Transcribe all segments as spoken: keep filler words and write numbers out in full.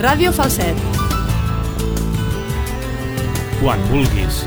Ràdio Falset. Quan vulguis.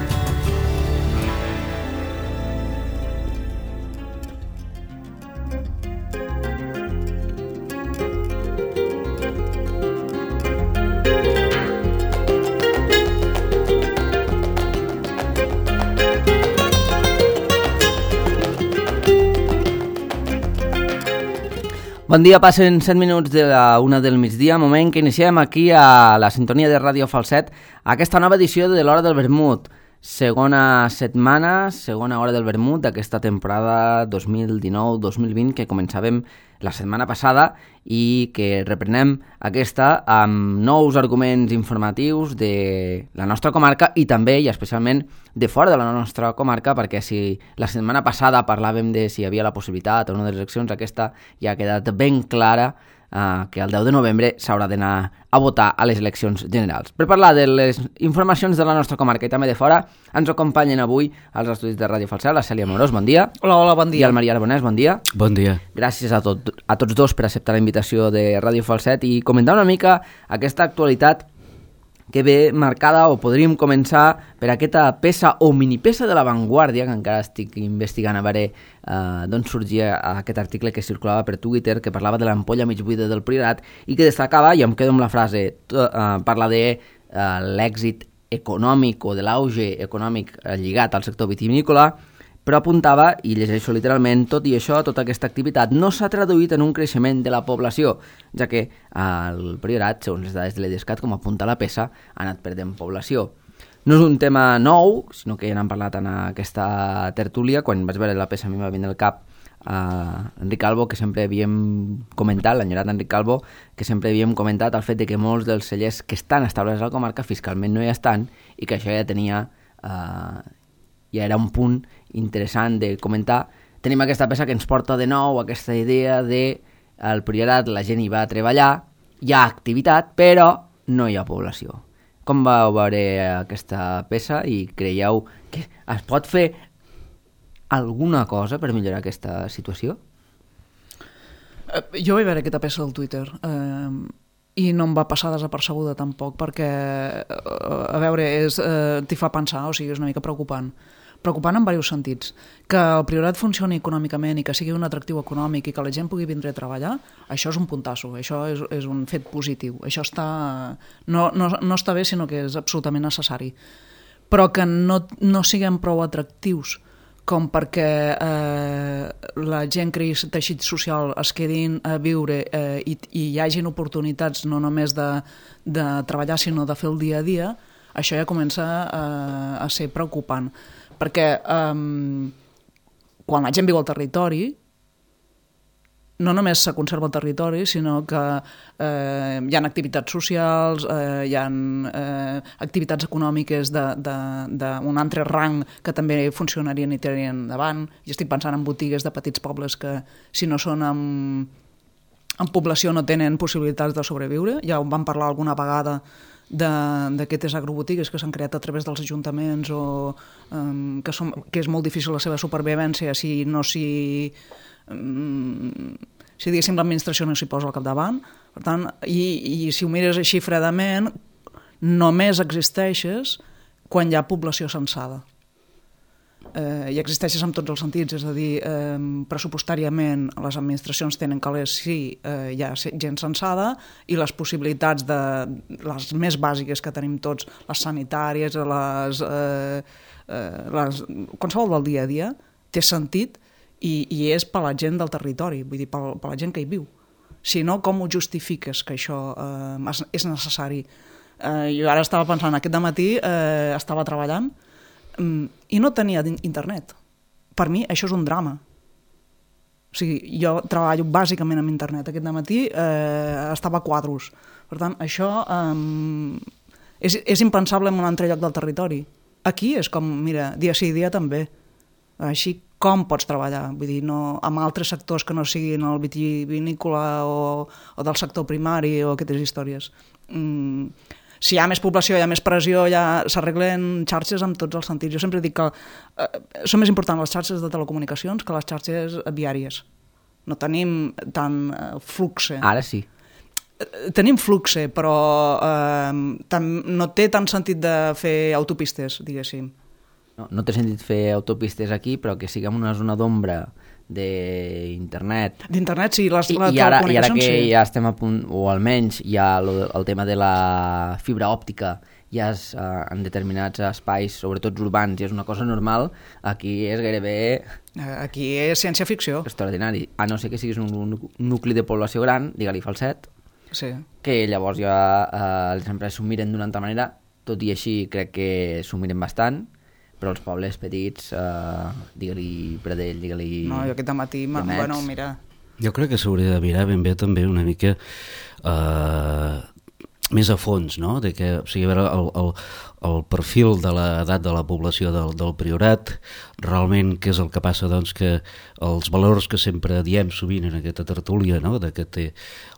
Bon dia, passen set minuts de la una del migdia, moment que iniciem aquí a la sintonia de Ràdio Falset aquesta nova edició de l'Hora del Vermut, segona setmana, segona hora del vermut d'aquesta temporada dos mil dinou dos mil vint que començàvem la setmana passada i que reprenem aquesta amb nous arguments informatius de la nostra comarca i també i especialment de fora de la nostra comarca, perquè si la setmana passada parlàvem de si hi havia la possibilitat o no de les eleccions, aquesta ja ha quedat ben clara eh, que el deu de novembre s'haurà d'anar a votar a les eleccions generals. Per parlar de les informacions de la nostra comarca i també de fora, ens acompanyen avui als estudis de Ràdio Falset la Cèlia Amorós, bon dia. Hola, hola, bon dia. I el Maria Arbonès, bon dia. Bon dia. Gràcies a, tot, a tots dos per acceptar la invitació de Ràdio Falset i comentar una mica aquesta actualitat que ve marcada, o podríem començar per aquesta peça o minipeça de La Vanguardia, que encara estic investigant a veure eh, d'on sorgia aquest article que circulava per Twitter, que parlava de l'ampolla mig buida del Priorat i que destacava, i em quedo amb la frase, to, eh, parla de eh, l'èxit econòmic o de l'auge econòmic eh, lligat al sector vitivinícola, però apuntava, i llegeixo literalment, tot i això, tota aquesta activitat no s'ha traduït en un creixement de la població, ja que el Priorat, segons les dades de l'Edescat, com apunta la peça, ha anat perdent població. No és un tema nou, sinó que ja n'hem parlat en aquesta tertúlia. Quan vaig veure la peça a mi m'ha vindre al cap a Enric Calvo, que sempre havíem comentat, l'enyorat Enric Calvo, que sempre havíem comentat el fet de que molts dels cellers que estan establerts a la comarca fiscalment no hi estan i que això ja tenia... Eh, ja era un punt interessant de comentar. Tenim aquesta peça que ens porta de nou aquesta idea de el Priorat, la gent hi va a treballar, hi ha activitat, però no hi ha població. Com vau veure aquesta peça i creieu que es pot fer alguna cosa per millorar aquesta situació? Uh, jo vaig veure aquesta peça al Twitter uh, i no em va passar desapercebuda tampoc, perquè uh, a veure, és, uh, t'hi fa pensar, o sigui, és una mica preocupant. Preocupant en diversos sentits. Que el Priorat funcioni econòmicament i que sigui un atractiu econòmic i que la gent pugui vindre a treballar, això és un puntasso, això és, és un fet positiu. Això està, no, no, no està bé, sinó que és absolutament necessari. Però que no, no siguem prou atractius com perquè eh, la gent creï teixit social, es quedin a viure eh, i, i hi hagin oportunitats no només de, de treballar, sinó de fer el dia a dia, això ja comença eh, a ser preocupant. Perquè um, quan la gent viu al territori, no només se conserva el territori, sinó que eh, hi ha activitats socials, eh, hi ha eh, activitats econòmiques d'un altre rang que també funcionarien i tirarien endavant. Jo estic pensant en botigues de petits pobles que, si no són en, en població, no tenen possibilitats de sobreviure. Ja ho vam parlar alguna vegada d'aquestes agrobotigues que s'han creat a través dels ajuntaments o um, que, són, que és molt difícil la seva supervivència si no s'hi um, si diguéssim l'administració no s'hi posa al capdavant. Per tant, i, i si ho mires així fredament, només existeixes quan hi ha població censada. Eh, i existeixes en tots els sentits, és a dir, eh, pressupostàriament les administracions tenen calés si eh, hi ha gent censada i les possibilitats de les més bàsiques que tenim tots, les sanitàries, les, eh, eh, les, qualsevol del dia a dia, té sentit i, i és per la gent del territori, vull dir, per, per la gent que hi viu. Si no, com ho justifiques que això eh, és necessari? Eh, jo ara estava pensant, aquest dematí eh, estava treballant i no tenia internet. Per mi això és un drama. O sigui, jo treballo bàsicament amb internet. Aquest dematí eh, estava a quadros. Per tant, això eh, és, és impensable en un altre lloc del territori. Aquí és com, mira, dia sí, dia també. Així com pots treballar? Vull dir, no, amb altres sectors que no siguin el vitivinícola o, o del sector primari o aquestes històries. Mm, si hi ha més població, hi ha més pressió, ja s'arreglen xarxes en tots els sentits. Jo sempre dic que eh, són més importants les xarxes de telecomunicacions que les xarxes viàries. No tenim tant eh, flux. Ara sí. tenim flux, però eh, tam, no té tant sentit de fer autopistes, diguéssim. No, no té sentit fer autopistes aquí, però que siguem una zona d'ombra d'internet. D'internet, sí, les, I, la i, ara, i ara que sí. ja estem a punt, o almenys hi ha el, el tema de la fibra òptica, ja és uh, en determinats espais, sobretot urbans, i és una cosa normal, aquí és gairebé... Aquí és ciència-ficció. Extraordinari. A no ser que siguis un, un nucli de població gran, digue-li Falset, sí. que llavors ja uh, les empreses s'ho miren d'una altra manera, tot i així crec que s'ho miren bastant, però els pobles petits, uh, digue-li Pradell, digue-li... No, jo aquest matí, bueno, mira... Jo crec que s'hauria de mirar ben bé també una mica eh, més a fons, no? De que, o sigui, a veure, el, el, el perfil de l'edat de la població del, del Priorat, realment què és el que passa, doncs, que els valors que sempre diem sovint en aquesta tertúlia, no? De que té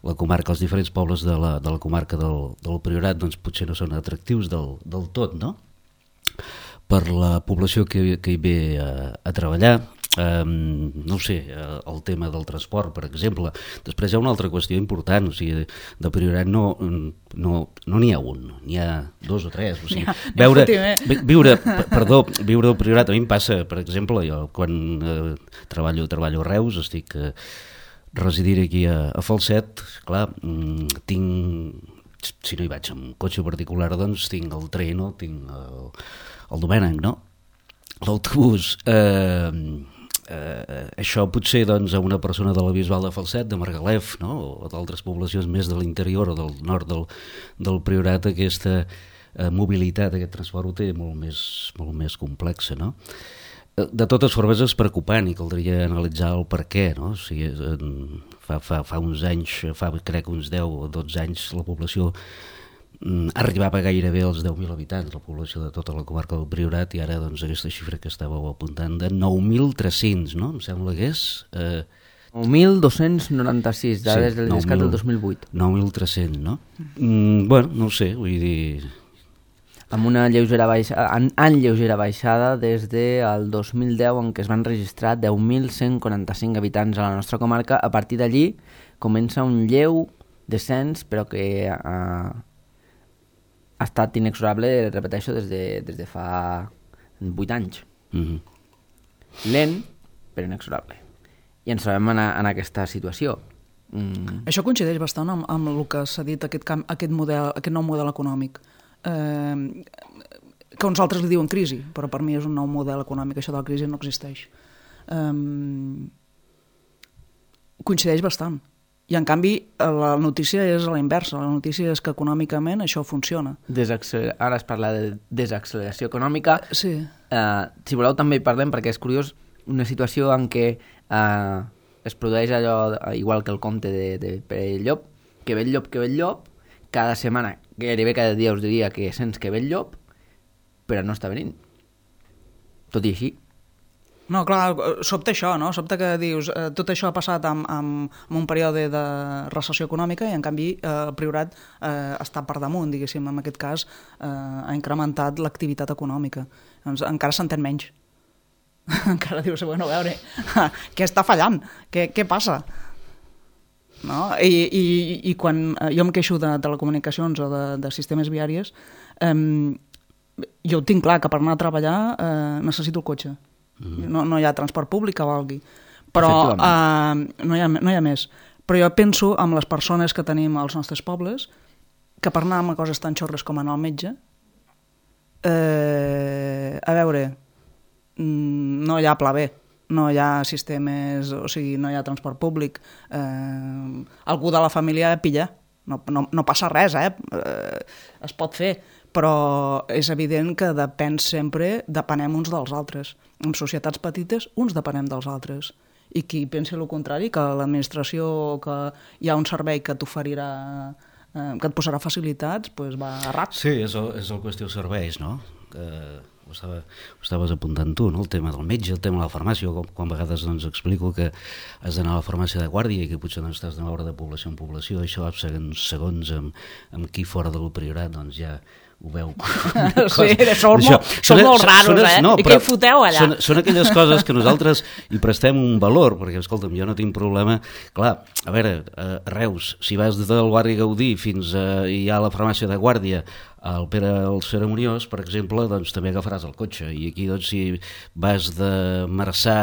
la comarca, els diferents pobles de la, de la comarca del, del Priorat, doncs potser no són atractius del, del tot, no? Per la població que, que hi ve a, a treballar, um, no ho sé, el tema del transport, per exemple. Després hi ha una altra qüestió important, o sigui, de Priorat no no no n'hi ha un, n'hi ha dos o tres. O sigui, ja, veure, viure, perdó, viure al Priorat, a mi em passa, per exemple, jo quan eh, treballo, treballo a Reus, estic eh, residint aquí a, a Falset, clar, mm, tinc, si no hi vaig amb cotxe particular, doncs tinc el tren o tinc el el Domènec, no? L'autobús. Eh, eh, això potser doncs, a una persona de la Bisbal de Falset, de Margalef, no? O d'altres poblacions més de l'interior o del nord del, del Priorat, aquesta eh, mobilitat, aquest transport ho té molt més, molt més complexa, no? De totes formes és preocupant i caldria analitzar el per què, no? O sigui, fa, fa, fa uns anys, fa crec uns deu o dotze anys, la població arribava gairebé als deu mil habitants, la població de tota la comarca del Priorat, i ara doncs aquesta xifra que estàveu apuntant de nou mil tres-cents, no? Em sembla que és... Eh... nou mil dos-cents noranta-sis, dades sí, del Discat del dos mil vuit. nou mil tres-cents, no? Mm, bueno, no ho sé, vull dir... Amb una lleugera baixada, en, en lleugera baixada des del dos mil deu, en què es van registrar deu mil cent quaranta-cinc habitants a la nostra comarca. A partir d'allí comença un lleu descens, però que... Eh, ha estat inexorable, repeteixo, des de, des de fa vuit anys. Mm-hmm. Lent, però inexorable. I ens trobem en, en aquesta situació. Mm. Això coincideix bastant amb, amb el que s'ha dit, aquest, camp, aquest, model, aquest nou model econòmic. Eh, que uns altres li diuen crisi, però per mi és un nou model econòmic, això de la crisi no existeix. Eh, coincideix bastant. I, en canvi, la notícia és a la inversa. La notícia és que econòmicament això funciona. Desacceler... Ara es parla de desacceleració econòmica. Sí. Uh, si voleu també parlem, perquè és curiós, una situació en què uh, es produeix allò, igual que el conte de, de Pere Llop, que ve el llop, que ve el llop, cada setmana, gairebé cada dia us diria que sents que ve el llop, però no està venint. Tot i així. No, clar, sobta això, no? Sobta que dius, eh, tot això ha passat amb, amb, amb un període de recessió econòmica i, en canvi, eh, el Priorat eh, està per damunt, diguéssim, en aquest cas, eh, ha incrementat l'activitat econòmica. Doncs encara s'entén menys. Encara dius, bueno, a veure, què està fallant? Què, què passa? No? I, i, i quan jo em queixo de telecomunicacions o de, de sistemes viaris, eh, jo ho tinc clar, que per anar a treballar eh, necessito el cotxe. No, no hi ha transport públic que valgui, però uh, no, hi ha, no hi ha més. Però jo penso en les persones que tenim als nostres pobles, que per anar a coses tan xorres com anar al metge, eh, a veure, no hi ha pla B, no hi ha sistemes, o sigui, no hi ha transport públic, eh, algú de la família pilla, no, no, no passa res, eh? eh es pot fer, però és evident que depèn sempre, depenem uns dels altres. En societats petites, uns depenem dels altres. I qui pensi el contrari, que l'administració, que hi ha un servei que t'oferirà, eh, que et posarà facilitats, doncs va errat. Sí, és el, és el qüestió serveis, no? Eh, ho, estava, ho estaves apuntant tu, no? El tema del metge, el tema de la farmàcia, quan, quan a vegades doncs, explico que has d'anar a la farmàcia de guàrdia i que potser doncs, estàs de moure de població en població, això segons, segons amb, amb qui fora del Priorat doncs, ja ho veu. Sí, som, molt, som molt raros, eh? No, I què hi foteu allà? Són, són aquelles coses que nosaltres hi prestem un valor, perquè, escolta'm, jo no tinc problema. Clar, a veure, a Reus, si vas del barri Gaudí fins a, hi ha la farmàcia de Guàrdia, al Pere el Cerimoniós, per exemple, doncs també agafaràs el cotxe. I aquí, doncs, si vas de Marçà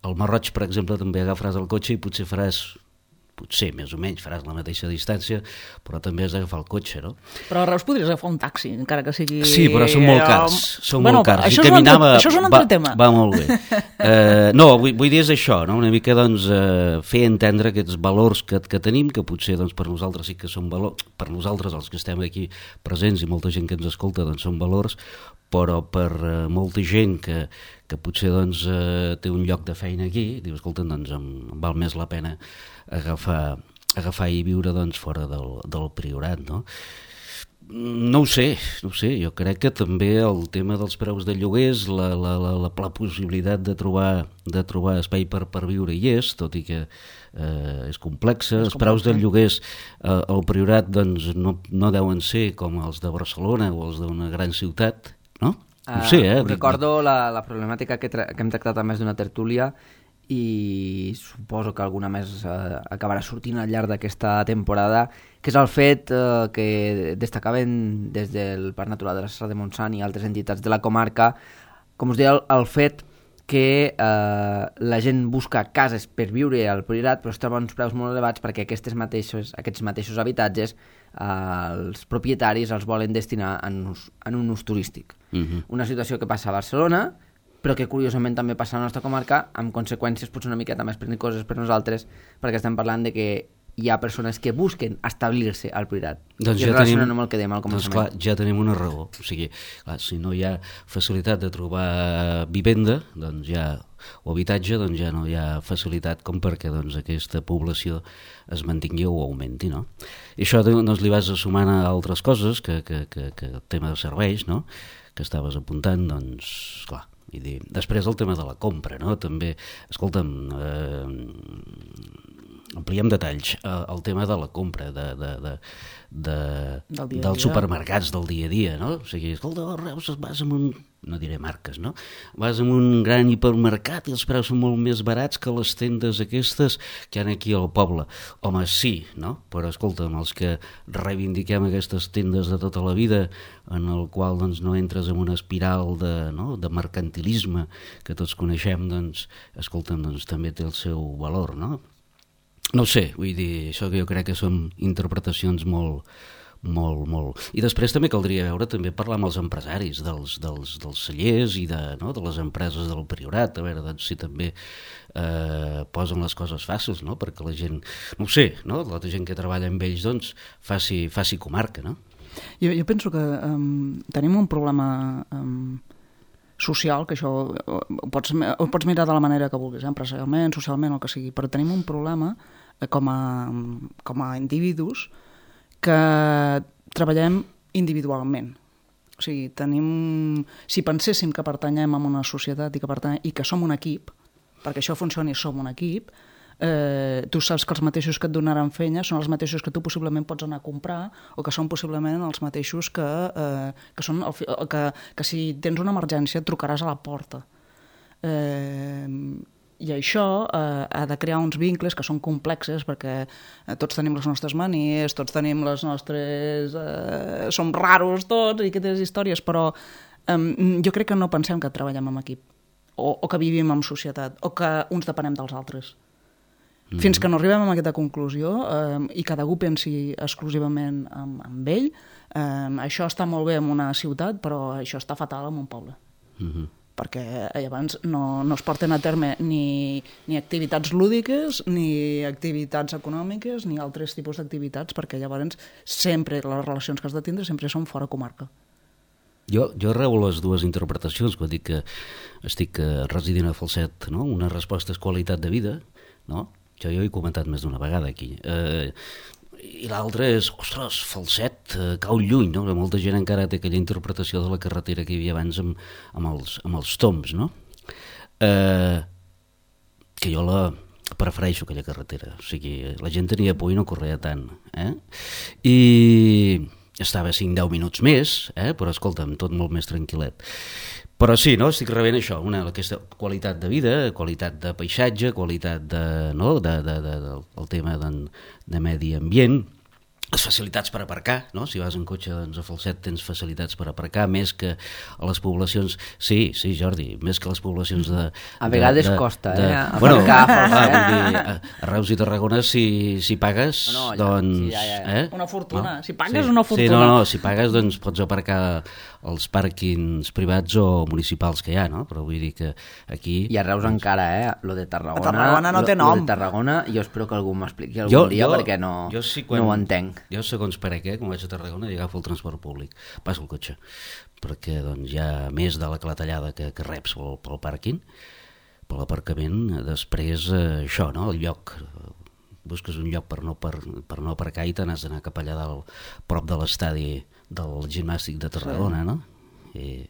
al Marroig, per exemple, també agafaràs el cotxe i potser faràs... potser més o menys faràs la mateixa distància, però també has d'agafar el cotxe, no? Però a Reus podries agafar un taxi, encara que sigui... Sí, però són molt cars, són bueno, molt cars. Això, I és caminava... altre, això és un altre va, tema. Va molt bé. Uh, no, vull, vull dir és això, no? Una mica doncs, uh, fer entendre aquests valors que, que tenim, que potser doncs, per nosaltres sí que són valors, per nosaltres els que estem aquí presents i molta gent que ens escolta doncs, són valors, però per uh, molta gent que, que potser doncs, uh, té un lloc de feina aquí, diu, escolta, doncs em, em val més la pena agafar, agafar i viure doncs, fora del, del Priorat, no? No ho sé, no ho sé, jo crec que també el tema dels preus de lloguers, la, la, la, la, la possibilitat de trobar, de trobar espai per, per viure hi és, tot i que eh, és complexa. Els preus dels lloguers eh, al Priorat doncs, no, no deuen ser com els de Barcelona o els d'una gran ciutat, no? No ho sé, eh? Uh, recordo la, la problemàtica que, tra que hem tractat a més d'una tertúlia i suposo que alguna més eh, acabarà sortint al llarg d'aquesta temporada, que és el fet eh, que destacaven des del Parc Natural de la Serra de Montsant i altres entitats de la comarca, com us deia, el, el fet que eh, la gent busca cases per viure al Priorat, però es troba uns preus molt elevats perquè aquests mateixos, aquests mateixos habitatges eh, els propietaris els volen destinar en, us, en un ús turístic. Uh-huh. Una situació que passa a Barcelona, però que curiosament també passa a la nostra comarca, amb conseqüències potser una miqueta més pernicoses per nosaltres, perquè estem parlant de que hi ha persones que busquen establir-se al Priorat. Doncs I ja relacionant tenim, amb el que dèiem al començament. Doncs clar, ja tenim una raó. O sigui, clar, si no hi ha facilitat de trobar vivenda, doncs ja, o habitatge, doncs ja no hi ha facilitat com perquè doncs, aquesta població es mantingui o augmenti, no? I això doncs, li vas sumant a altres coses, que, que, que, que el tema de serveis, no?, que estaves apuntant, doncs, clar, i dir, després el tema de la compra, no? També, escolta'm, eh, ampliem detalls, eh, el tema de la compra de, de, de, de, del dia dels dia. supermercats del dia a dia, no? O sigui, escolta, a Reus vas amb un, no diré marques, no? Vas amb un gran hipermercat i els preus són molt més barats que les tendes aquestes que hi ha aquí al poble. Home, sí, no? Però escolta'm, els que reivindiquem aquestes tendes de tota la vida, en el qual doncs, no entres en una espiral de, no? de mercantilisme que tots coneixem, doncs, escolta'm, doncs, també té el seu valor, no? No ho sé, vull dir, això que jo crec que són interpretacions molt, molt, molt... I després també caldria veure, també parlar amb els empresaris dels, dels, dels cellers i de, no? de les empreses del Priorat, a veure doncs, si també eh, posen les coses fàcils, no? Perquè la gent, no ho sé, no? la gent que treballa amb ells doncs, faci, faci comarca, no? Jo, jo penso que um, tenim un problema... Um, social, que això ho pots, ho pots mirar de la manera que vulguis, eh? Empresarialment, socialment, el que sigui, però tenim un problema eh, com, a, com a individus que treballem individualment. O sigui, tenim... Si penséssim que pertanyem a una societat i que, pertanyem, i que som un equip, perquè això funcioni, som un equip, eh, tu saps que els mateixos que et donaran feina són els mateixos que tu possiblement pots anar a comprar o que són possiblement els mateixos que, eh, que, són el, que, que si tens una emergència et trucaràs a la porta. Eh, I això eh, ha de crear uns vincles que són complexes perquè eh, tots tenim les nostres manies, tots tenim les nostres... Eh, som raros tots i aquestes històries, però eh, jo crec que no pensem que treballem en equip o, o que vivim en societat o que uns depenem dels altres. Fins que no arribem a aquesta conclusió eh, i cadascú pensi exclusivament en, en ell, eh, això està molt bé en una ciutat, però això està fatal en un poble. Uh-huh. Perquè llavors no, no es porten a terme ni, ni activitats lúdiques, ni activitats econòmiques, ni altres tipus d'activitats, perquè llavors sempre les relacions que has de tindre sempre són fora comarca. Jo, jo arreu les dues interpretacions, quan dic que estic residint a Falset, no? Una resposta és qualitat de vida, no? Jo, jo he comentat més d'una vegada aquí. Eh, I l'altra és, ostres, Falset, eh, cau lluny, no? Molta gent encara té aquella interpretació de la carretera que hi havia abans amb, amb, els, amb els tombs, no? Eh, que jo la prefereixo, aquella carretera. O sigui, la gent tenia por i no corria tant. Eh? I... estava cinc deu minuts més, eh? Però escolta'm, tot molt més tranquil·let. Però sí, no? Estic rebent això, una, aquesta qualitat de vida, qualitat de paisatge, qualitat de, no? de, de, de, de, del tema de, de medi ambient, les facilitats per aparcar, no? Si vas en cotxe doncs, a Falset tens facilitats per aparcar, més que a les poblacions... Sí, sí, Jordi, més que a les poblacions de... A vegades de, de, costa, de, eh? Bueno, aparcar a clar, Falset. vull dir, a, a Reus i Tarragona, si, si pagues, No, ja, doncs... sí, ja, ja. Eh? Una fortuna. No? Si pagues, sí. una fortuna. Sí, no, no, si pagues, doncs pots aparcar als pàrquings privats o municipals que hi ha, no? Però vull dir que aquí... I a Reus encara, eh? Lo de Tarragona... A Tarragona no té lo, nom. Lo de Tarragona, jo espero que algú m'expliqui algun Jo- dia jo- perquè no, jo sí, no ho entenc. Jo, segons per a què, quan vaig a Tarragona, i agafo el transport públic, passo el cotxe, perquè doncs, hi ha més de la clatellada que, que reps pel, pel pàrquing, per l'aparcament, després eh, això, no? El lloc, eh, busques un lloc per no, per, per no aparcar i te n'has d'anar cap allà dalt, prop de l'estadi del gimnàstic de Tarragona, no? I...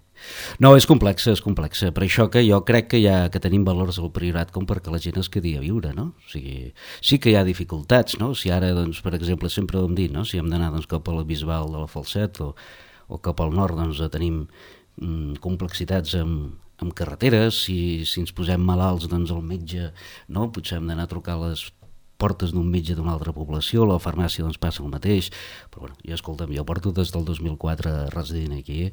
No, és complexa, és complexa. Per això que jo crec que, ha, que tenim valors al Priorat com perquè la gent es quedi a viure, no? O sigui, sí que hi ha dificultats, no? Si ara, doncs, per exemple, sempre ho hem dit, no? Si hem d'anar doncs, cap a la Bisbal de la Falset o, o cap al nord, doncs, tenim mm, complexitats amb, amb carreteres, si, si ens posem malalts, doncs, el metge, no? Potser hem d'anar a trucar a les portes d'un metge d'una altra població, la farmàcia doncs passa el mateix, però bueno, jo escolta'm, jo porto des del dos mil quatre residint aquí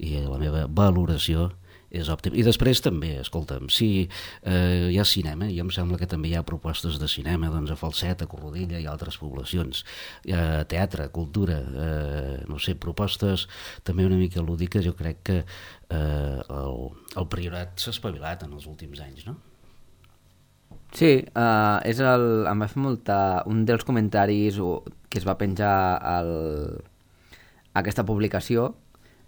i la meva valoració és òptima. I després també, escolta'm, si eh, hi ha cinema, jo em sembla que també hi ha propostes de cinema doncs, a Falset, a Corrodilla i altres poblacions, hi ha teatre, cultura, eh, no sé, propostes també una mica lúdiques, jo crec que eh, el, el Priorat s'ha espavilat en els últims anys, no? Sí, uh, és el, em va fer molta... Un dels comentaris que es va penjar al, a aquesta publicació,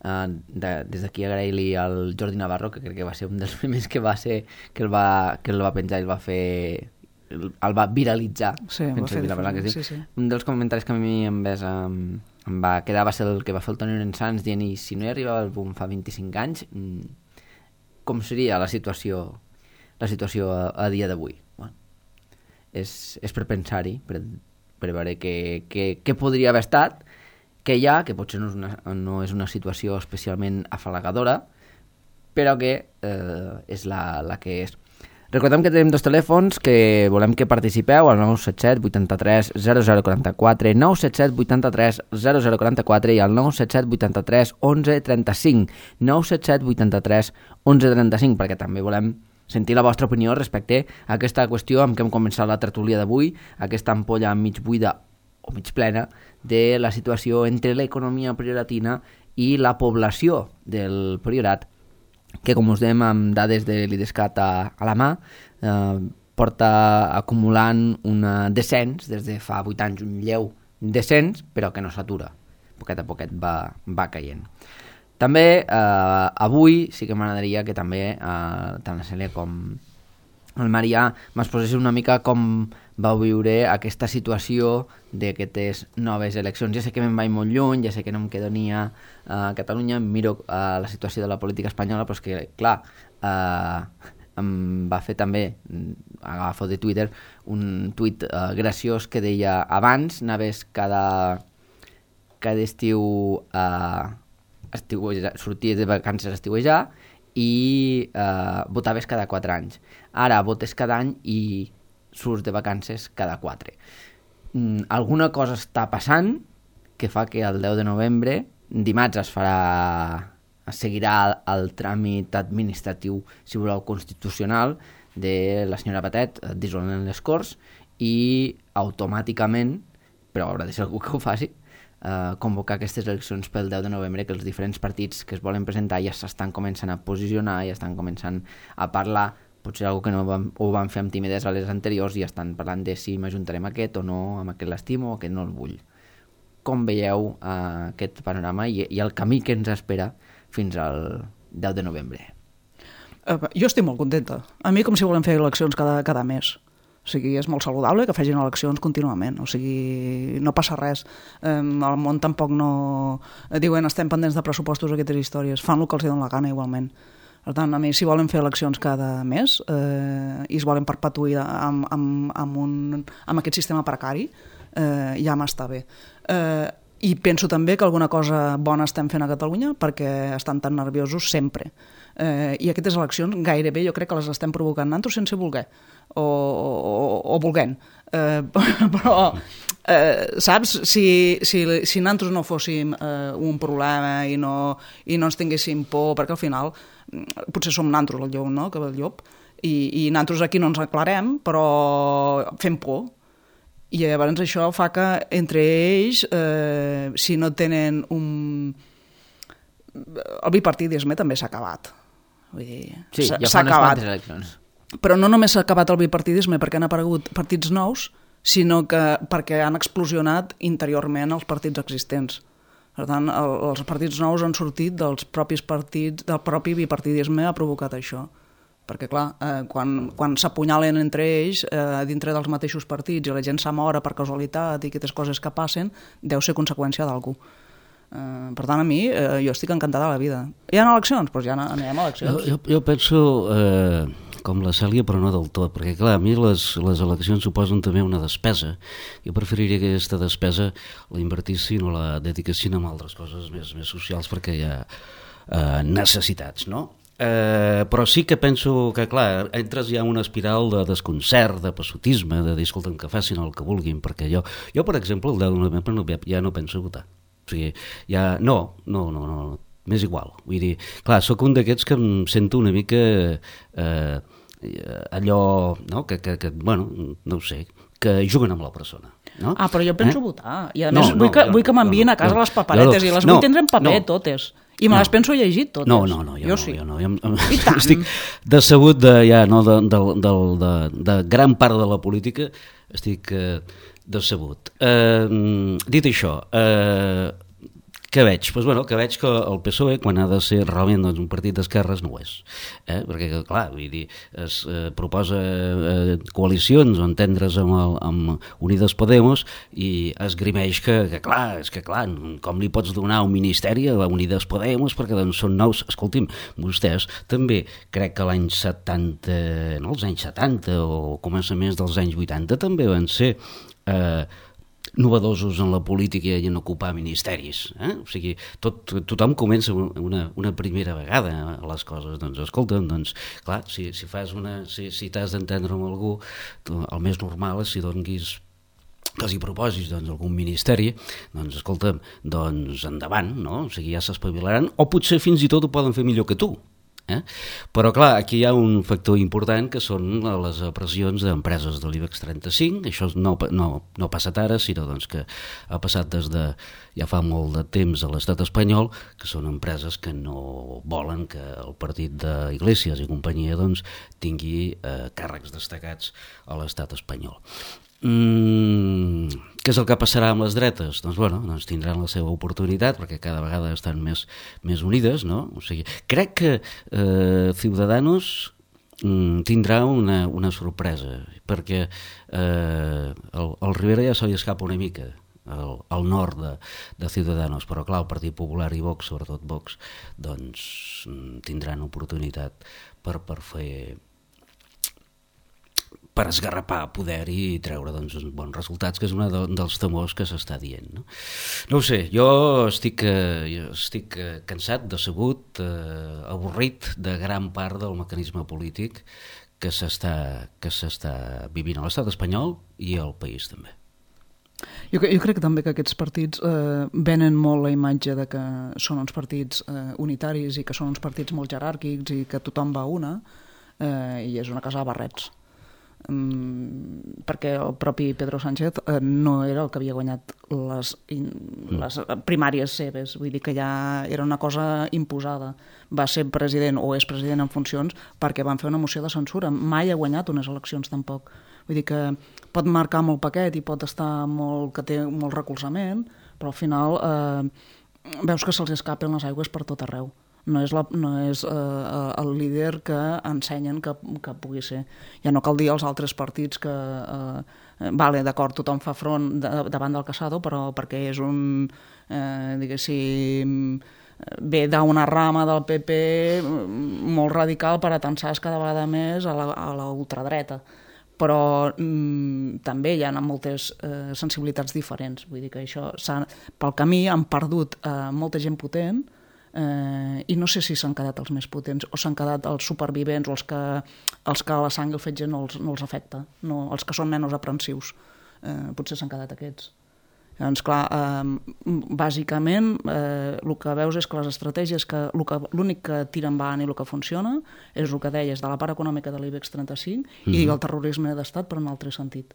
uh, de, des d'aquí agrair-li al Jordi Navarro, que crec que va ser un dels primers que va ser que el va, que el va penjar i el va fer... el, el va viralitzar. Sí, va fer la paraula que es diu. sí, sí. Un dels comentaris que a mi em, ves, um, em va quedar va ser el que va fer el Toni Lorenzans dient i si no hi arribava el boom fa vint-i-cinc anys, com seria la situació, la situació a, a dia d'avui? És, és per pensar-hi, per, per veure què, què, què podria haver estat, que hi ha, que potser no és una, no és una situació especialment afalagadora, però que eh, és la, la que és. Recordem que tenim dos telèfons que volem que participeu, al nou set set vuitanta-tres zero zero quaranta-quatre, nou set set vuitanta-tres zero zero quaranta-quatre i al nou set set vuitanta-tres onze trenta-cinc, nou set set vuitanta-tres onze trenta-cinc, perquè també volem sentir la vostra opinió respecte a aquesta qüestió amb què hem començat la tertúlia d'avui, aquesta ampolla mig buida o mig plena de la situació entre l'economia prioratina i la població del Priorat, que com us dèiem amb dades de l'IDESCAT a, a la mà, eh, porta acumulant un descens des de fa vuit anys, un lleu descens, però que no s'atura, poquet a poquet va, va caient. També eh, avui sí que m'agradaria que també eh, tant la Cèlia com el Marià m'exposés una mica com vau viure aquesta situació d'aquestes noves eleccions. Ja sé que me'n vaig molt lluny, ja sé que no em quedo ni a, a Catalunya, em miro eh, la situació de la política espanyola, però és que, clar, eh, em va fer també, agafo de Twitter, un tuit eh, graciós que deia abans anaves cada, cada estiu a... Eh, estiuejar, sorties de vacances a estiuejar i eh, votaves cada quatre anys. Ara votes cada any i surts de vacances cada quatre. Mm, alguna cosa està passant que fa que el deu de novembre, dimarts es farà, es seguirà el, el tràmit administratiu, si voleu, constitucional de la senyora Batet dissolent les Corts i automàticament, però haurà de ser algú que ho faci, Uh, convocar aquestes eleccions pel deu de novembre, que els diferents partits que es volen presentar ja s'estan començant a posicionar, ja estan començant a parlar, potser algo que no van, ho van fer amb timidesa a les anteriors, i estan parlant de si m'ajuntarem aquest o no, amb aquest l'estimo o aquest no el vull. Com veieu uh, aquest panorama i, i el camí que ens espera fins al deu de novembre? Uh, jo estic molt contenta. A mi com si volem fer eleccions cada, cada mes. O sigui, és molt saludable que facin eleccions contínuament, o sigui, no passa res. Eh, el món tampoc no... Diuen, estem pendents de pressupostos, aquestes històries, fan el que els donen la gana igualment. Per tant, a mi, si volen fer eleccions cada mes eh, i es volen perpetuir amb, amb, amb, un, amb aquest sistema precari, eh, ja m'està bé. Eh, I penso també que alguna cosa bona estem fent a Catalunya perquè estan tan nerviosos sempre. Eh, I aquestes eleccions gairebé jo crec que les estem provocant nosaltres sense voler o, o, o volent. Eh, però, eh, saps, si, si, si nosaltres no fóssim eh, un problema i no, i no ens tinguéssim por, perquè al final potser som nosaltres el llop, no?, que el llop, i, i nosaltres aquí no ens aclarem, però fem por. I llavors això fa que entre ells, eh, si no tenen un... El bipartidisme també s'ha acabat. Vull dir, sí, s'ha, ja s'ha fa unes acabat. quantes eleccions. Però no només s'ha acabat el bipartidisme perquè han aparegut partits nous, sinó que perquè han explosionat interiorment els partits existents. Per tant, el, els partits nous han sortit dels propis partits, del propi bipartidisme ha provocat això. Perquè, clar, eh, quan, quan s'apunyalen entre ells, eh, dintre dels mateixos partits, i la gent s'amora per casualitat i aquestes coses que passen, deu ser conseqüència d'algú. Eh, per tant, a mi, eh, jo estic encantada de la vida. Hi ha eleccions? Doncs ja anem a eleccions. Jo, jo, jo penso eh, com la Cèlia, però no del tot, perquè, clar, a mi les, les eleccions suposen també una despesa. Jo preferiria que aquesta despesa la invertissin o la dediquessin a altres coses més, més socials, perquè hi ha eh, necessitats, no? Eh, però sí que penso que, clar, entres ja en una espiral de desconcert, de passotisme, de dir, escolta'm, que facin el que vulguin, perquè jo, jo per exemple, el deu de novembre no, ja no penso votar. O sigui, ja, no, no, no, no, m'és igual. Vull dir, clar, sóc un d'aquests que em sento una mica eh, allò, no?, que, que, que, bueno, no ho sé, que juguen amb la persona. No? Ah, però jo penso eh? votar. I a no, més, no, vull que, jo, vull que m'envien no, a casa no, les paperetes no, i les no, vull tindre en paper, no, totes. I me no. les penso llegir totes. No, no, no, jo, jo no, sí. jo no. Jo, I tant. Estic decebut de, ja, no, de, de, de, de, de gran part de la política, estic eh, decebut. Eh, dit això, eh, què veig? Pues, bueno, que veig que el P S O E, quan ha de ser realment doncs, un partit d'esquerres, no ho és. Eh? Perquè, clar, vull dir, es eh, proposa eh, coalicions o entendre's amb, el, amb Unides Podemos i esgrimeix que, que, clar, és que, clar, com li pots donar un ministeri a Unides Podemos perquè doncs, són nous... Escolti'm, vostès també crec que l'any setanta, no, els anys setanta o començaments dels anys vuitanta també van ser... Eh, novedosos en la política i en ocupar ministeris. Eh? O sigui, tot, tothom comença una, una primera vegada a les coses. Doncs, escolta'm, doncs, clar, si, si fas una... Si, si t'has d'entendre amb algú, tu, el més normal és si donguis que els hi proposis doncs, algun ministeri, doncs, escolta'm, doncs endavant, no? O sigui, ja s'espavilaran, o potser fins i tot ho poden fer millor que tu. Eh? Però clar, aquí hi ha un factor important que són les pressions d'empreses de l'IBEX trenta-cinc. Això no, no, no ha passat ara, sinó doncs, que ha passat des de ja fa molt de temps a l'estat espanyol, que són empreses que no volen que el partit d'Iglesias i companyia doncs, tingui eh, càrrecs destacats a l'estat espanyol. Mm, què és el que passarà amb les dretes? Doncs, bueno, doncs tindran la seva oportunitat perquè cada vegada estan més, més unides, no? O sigui, crec que eh, Ciudadanos mm, tindrà una, una sorpresa perquè eh, el, el Rivera ja se li escapa una mica al, al nord de, de Ciudadanos, però clar, el Partit Popular i Vox, sobretot Vox, doncs tindran oportunitat per, per fer... per esgarrapar poder i treure doncs, uns bons resultats, que és un de, dels temors que s'està dient. No? No ho sé, jo estic, eh, jo estic eh, cansat, decebut, eh, avorrit de gran part del mecanisme polític que s'està que s'està vivint a l'estat espanyol i al país també. Jo, jo crec també que aquests partits eh, venen molt la imatge de que són uns partits eh, unitaris i que són uns partits molt jeràrquics i que tothom va a una eh, i és una casa de barrets. Mm, perquè el propi Pedro Sánchez eh, no era el que havia guanyat les, in, les primàries seves, vull dir que ja era una cosa imposada. Va ser president o és president en funcions perquè van fer una moció de censura. Mai ha guanyat unes eleccions tampoc. Vull dir que pot marcar molt paquet i pot estar molt, que té molt recolzament, però al final eh, veus que se'ls escapen les aigües per tot arreu. No és, la, no és eh, el líder que ensenyen que, que pugui ser. Ja no cal dir als altres partits que, eh, vale, d'acord, tothom fa front de, davant del Casado, però perquè és un, eh, diguéssim, ve d'una rama del P P molt radical per atensar cada vegada més a la, a la ultradreta. però mm, també hi ha moltes eh, sensibilitats diferents. Vull dir que això pel camí han perdut eh, molta gent potent eh, i no sé si s'han quedat els més potents o s'han quedat els supervivents o els que, els que la sang i el fetge no els, no els afecta, no, els que són menys aprensius. Eh, potser s'han quedat aquests. Llavors, clar, eh, bàsicament eh, el que veus és que les estratègies, que l'únic que tira endavant i el que funciona és el que deies de la part econòmica de l'IBEX trenta-cinc mm-hmm. i el terrorisme d'estat per un altre sentit.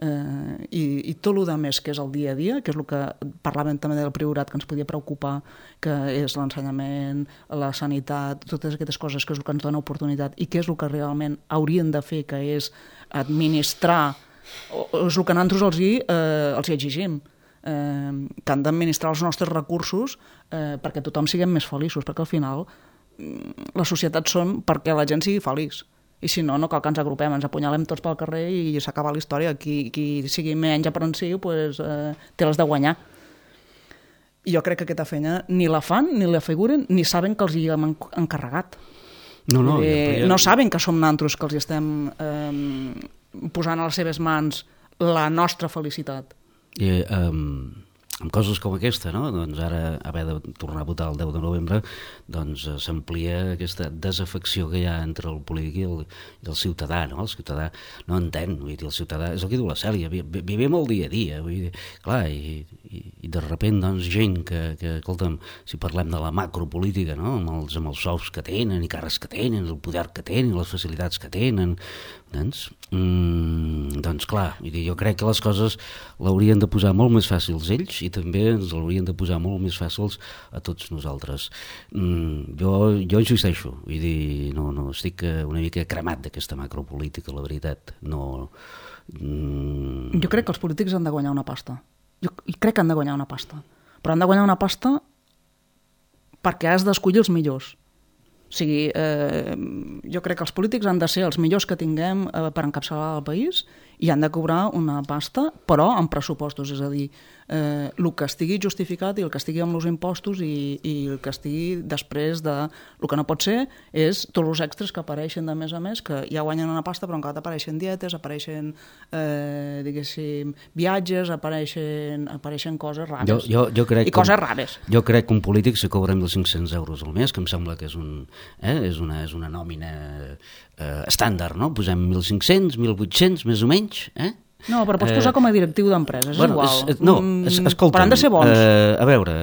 Eh, i, i tot el més que és el dia a dia, que és el que parlàvem també del priorat que ens podia preocupar, que és l'ensenyament, la sanitat, totes aquestes coses que és el que ens dona oportunitat i que és el que realment haurien de fer, que és administrar, o, és el que nosaltres els hi, eh, els hi exigim, eh, que han d'administrar els nostres recursos eh, perquè tothom siguem més feliços, perquè al final les societats són perquè la gent sigui feliç. I si no, no cal que ens agrupem, ens apunyalem tots pel carrer i s'acaba la història. Qui, qui sigui menys aprensiu pues, eh, té les de guanyar. I jo crec que aquesta feina ni la fan, ni la figuren, ni saben que els hi hem encarregat. No, no, eh, ja... no saben que som nosaltres que els hi estem eh, posant a les seves mans la nostra felicitat. I, um, amb coses com aquesta, no? Doncs ara haver de tornar a votar el deu de novembre, doncs s'amplia aquesta desafecció que hi ha entre el polític i el, i el ciutadà, no? El ciutadà no entén, vull dir, el ciutadà, és el que diu la Cèlia, vi, vivim el dia a dia, vull dir, clar, i, i, i de repent, doncs, gent que, que, escolta'm, si parlem de la macropolítica, no? Amb els, amb els sous que tenen, i càrrecs que tenen, el poder que tenen, les facilitats que tenen, doncs, mm, doncs clar, vull dir, jo crec que les coses l'haurien de posar molt més fàcils ells i també ens l'haurien de posar molt més fàcils a tots nosaltres. Mm, jo, jo insisteixo, vull dir, no, no, estic una mica cremat d'aquesta macropolítica, la veritat. No, mm... Jo crec que els polítics han de guanyar una pasta. Jo crec que han de guanyar una pasta. Però han de guanyar una pasta perquè has d'escollir els millors. O sigui, eh, jo crec que els polítics han de ser els millors que tinguem eh, per encapçalar el país i han de cobrar una pasta, però amb pressupostos, és a dir, eh, el que estigui justificat i el que estigui amb els impostos i, i el que estigui després de... El que no pot ser és tots els extras que apareixen de més a més, que ja guanyen una pasta, però encara apareixen dietes, apareixen, eh, diguéssim, viatges, apareixen, apareixen coses rares. Jo, jo, jo crec I coses que, rares. Jo crec que un polític se cobra mil cinc-cents euros al mes, que em sembla que és, un, eh, és, una, és una nòmina eh, estàndard, no? Posem mil cinc-cents, mil vuit-cents, més o menys, eh? No, però pots posar com a directiu d'empreses, és bueno, igual. És, no, es, escolta'm, però han de ser bons. Eh, a veure,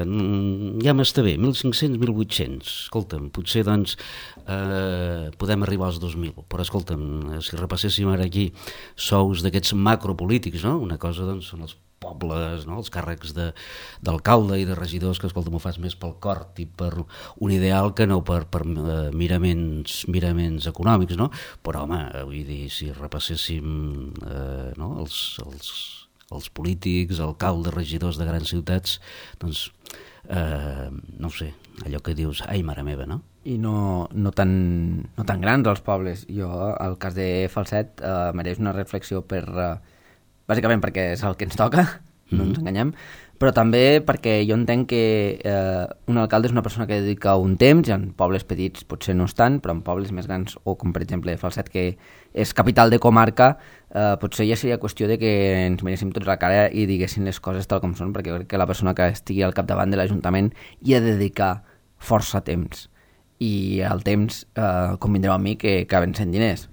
ja m'està bé, mil cinc-cents, mil vuit-cents, escolta'm, potser doncs eh, podem arribar als dos mil, però escolta'm, si repasséssim ara aquí sous d'aquests macropolítics, no? Una cosa doncs són els pobles, no? Els càrrecs d'alcalde i de regidors, que escolta, m'ho fas més pel cor i per un ideal que no per, per uh, miraments, miraments econòmics, no? Però, home, vull dir, si repasséssim uh, no? els, els, els polítics, alcaldes, regidors de grans ciutats, doncs, uh, no ho sé, allò que dius, ai, mare meva, no? I no, no, tan, no tan grans els pobles. Jo, el cas de Falset, uh, mereix una reflexió per... Uh, bàsicament perquè és el que ens toca, no ens enganyem, però també perquè jo entenc que eh, un alcalde és una persona que dedica un temps, i en pobles petits potser no és tant, però en pobles més grans, o com per exemple Falset, que és capital de comarca, eh, potser ja seria qüestió de que ens miréssim tots la cara i diguessin les coses tal com són, perquè crec que la persona que estigui al capdavant de l'Ajuntament hi ha de dedicar força temps. I el temps, eh, convindreu amb mi, que acaben sent diners.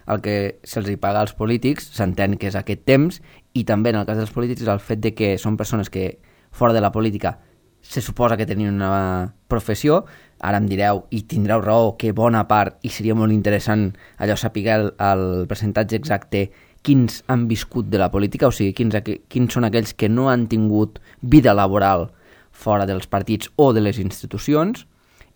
El que se'ls hi paga als polítics s'entén que és aquest temps, i també en el cas dels polítics el fet de que són persones que fora de la política se suposa que tenien una professió. Ara em direu, i tindreu raó, que bona part, i seria molt interessant allò saber el, el percentatge exacte, quins han viscut de la política, o sigui, quins, quins són aquells que no han tingut vida laboral fora dels partits o de les institucions,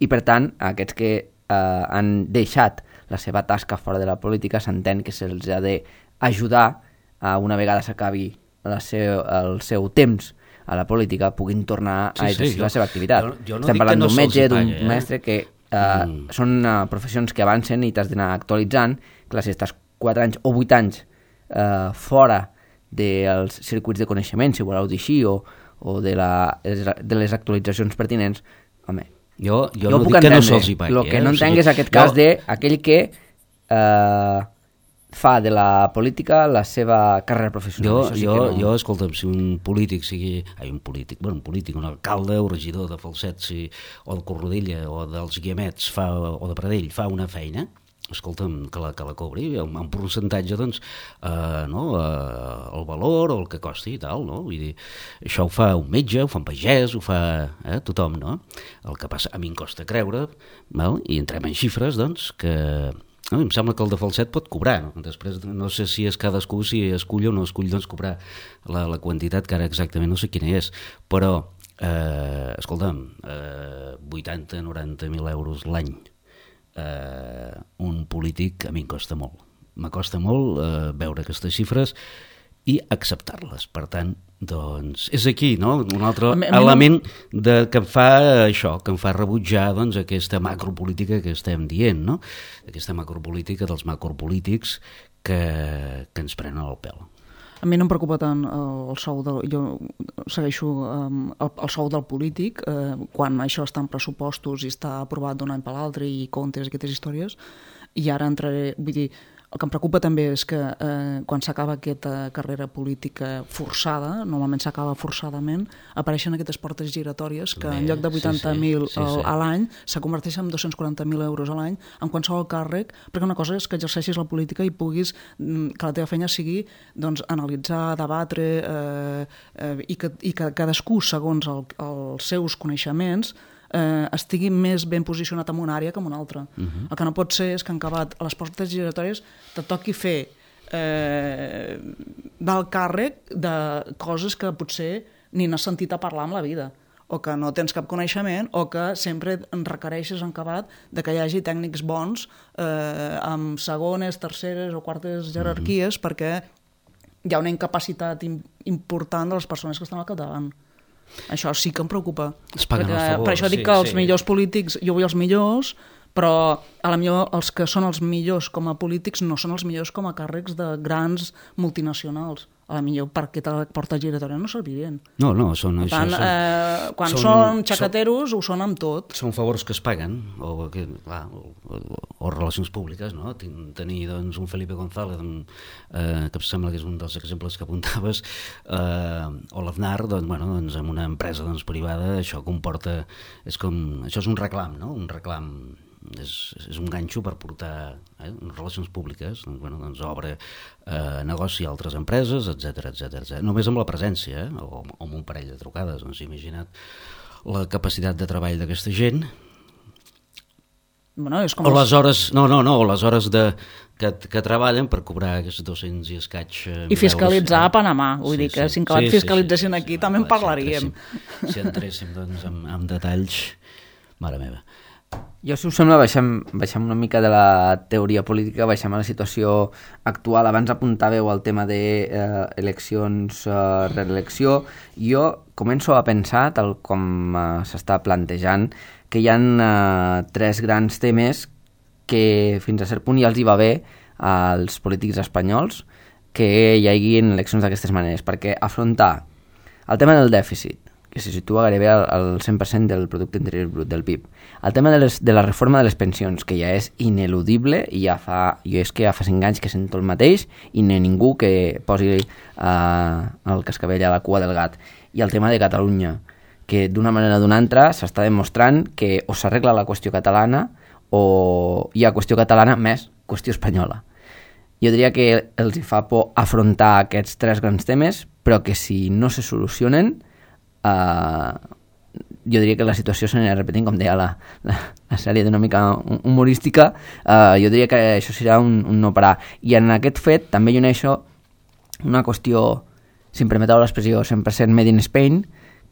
i per tant aquests que eh, han deixat la seva tasca fora de la política s'entén que se'ls ha d'ajudar a una vegada s'acabi el seu temps a la política puguin tornar sí, a exercir sí, jo, la seva activitat. Jo, jo no Estem parlant no d'un metge, d'un eh? mestre que eh, mm. són uh, professions que avancen i t'has d'anar actualitzant. Clar, si estàs quatre anys o vuit anys uh, fora dels circuits de coneixement, si voleu dir així, o, o de, la, de les actualitzacions pertinents, home, Jo, jo, jo no puc dic entendre. Que no se'ls hi pagui. El que eh? no o entenc sigui, és aquest cas jo... d'aquell que eh, fa de la política la seva carrera professional. Jo, sí jo, no... jo, escolta'm, si un polític sigui... Ai, un polític, bueno, un polític, un alcalde o regidor de Falset, si, o de Corrodella, o dels Guiamets, fa, o de Pradell, fa una feina, escolta'm, que la, que la cobri, amb un percentatge, doncs, eh, no, eh, el valor o el que costi i tal, no? Vull dir, això ho fa un metge, ho fa un pagès, ho fa eh, tothom, no? El que passa, a mi em costa creure, val? I entrem en xifres, doncs, que... No, em sembla que el de Falset pot cobrar, no? Després no sé si és cadascú, si escull o no escull, doncs, cobrar la, la quantitat, que ara exactament no sé quina és, però, eh, escolta'm, eh, vuitanta a noranta mil euros l'any, eh, un polític a mi em costa molt. M'acosta molt eh, veure aquestes xifres i acceptar-les. Per tant, doncs, és aquí, no?, un altre a mi, a mi element no... de, que em fa això, que em fa rebutjar, doncs, aquesta macropolítica que estem dient, no?, aquesta macropolítica dels macropolítics que, que ens prenen el pèl. A mi no em preocupa tant el sou del... Jo segueixo um, el, el sou del polític, eh, quan això està en pressupostos i està aprovat d'un any per l'altre i comptes i aquestes històries, i ara entraré... Vull dir, el que em preocupa també és que eh, quan s'acaba aquesta carrera política forçada, normalment s'acaba forçadament, apareixen aquestes portes giratòries que Bé, en lloc de vuitanta mil sí, sí, sí, sí. a l'any se converteixen en dos-cents quaranta mil euros a l'any en qualsevol càrrec, perquè una cosa és que exerceixis la política i puguis que la teva feina sigui doncs, analitzar, debatre eh, eh, i, que, i que cadascú, segons el, els seus coneixements, Eh, estigui més ben posicionat en una àrea que en una altra. Uh-huh. El que no pot ser és que en acabat a les portes giratòries te toqui fer eh, del càrrec de coses que potser ni n'has sentit a parlar en la vida, o que no tens cap coneixement, o que sempre en requereixes en acabat de que hi hagi tècnics bons eh, amb segones, terceres o quartes jerarquies, uh-huh. perquè hi ha una incapacitat important de les persones que estan al capdavant. Això sí que em preocupa. Es paguen perquè, els favors. Per això dic sí, que els sí. millors polítics, jo vull els millors, però a la millor els que són els millors com a polítics no són els millors com a càrrecs de grans multinacionals. A la millor per aquesta porta giratòria no servirien. No, no, són... Per tant, això, són, eh, quan són, són xacateros són, ho són amb tot. Són favors que es paguen, o, que, clar, o, o, o relacions públiques, no? Tenir doncs, un Felipe González, eh, que em sembla que és un dels exemples que apuntaves, eh, o l'Aznar, doncs, bueno, doncs, amb una empresa doncs, privada, això comporta... És com, això és un reclam, no? Un reclam... És, és un ganxo per portar eh, relacions públiques, doncs, bueno, doncs obre eh, negoci a altres empreses, etcètera, etcètera. Només amb la presència, eh, o, o amb un parell de trucades, doncs imagina't la capacitat de treball d'aquesta gent. Bueno, és com o les hores, no, no, no, o les hores de, que, que treballen per cobrar aquests dos-cents i escaig eh, i fiscalitzar a Panamà, vull sí, dir que sí, si en acabat sí, fiscalitzessin sí, sí, aquí sí, també sí, en parlaríem. Si entréssim, si entréssim doncs, amb, amb detalls, mare meva. Jo, si us sembla, baixem, baixem una mica de la teoria política, baixem a la situació actual. Abans apuntàveu al tema d'eleccions, eh, eh, reelecció. Jo començo a pensar, tal com eh, s'està plantejant, que hi ha eh, tres grans temes que fins a cert punt ja els hi va bé als polítics espanyols que hi haguin eleccions d'aquestes maneres, perquè afrontar el tema del dèficit, que se situa gairebé al cent per cent del producte interior brut del P I B. El tema de, les, de la reforma de les pensions, que ja és ineludible, i ja fa, jo és que ja fa cinc anys que sento el mateix, i no hi ha ningú que posi eh, el cascavell a la cua del gat. I el tema de Catalunya, que d'una manera o d'una altra s'està demostrant que o s'arregla la qüestió catalana o hi ha qüestió catalana més qüestió espanyola. Jo diria que els hi fa por afrontar aquests tres grans temes, però que si no se solucionen, Uh, jo diria que la situació s'anirà repetint, com deia la, la, la sèrie d'una mica humorística. Uh, jo diria que això serà un, un no parar, i en aquest fet també hi uneixo una qüestió, si em permeteu l'expressió, cent per cent made in Spain,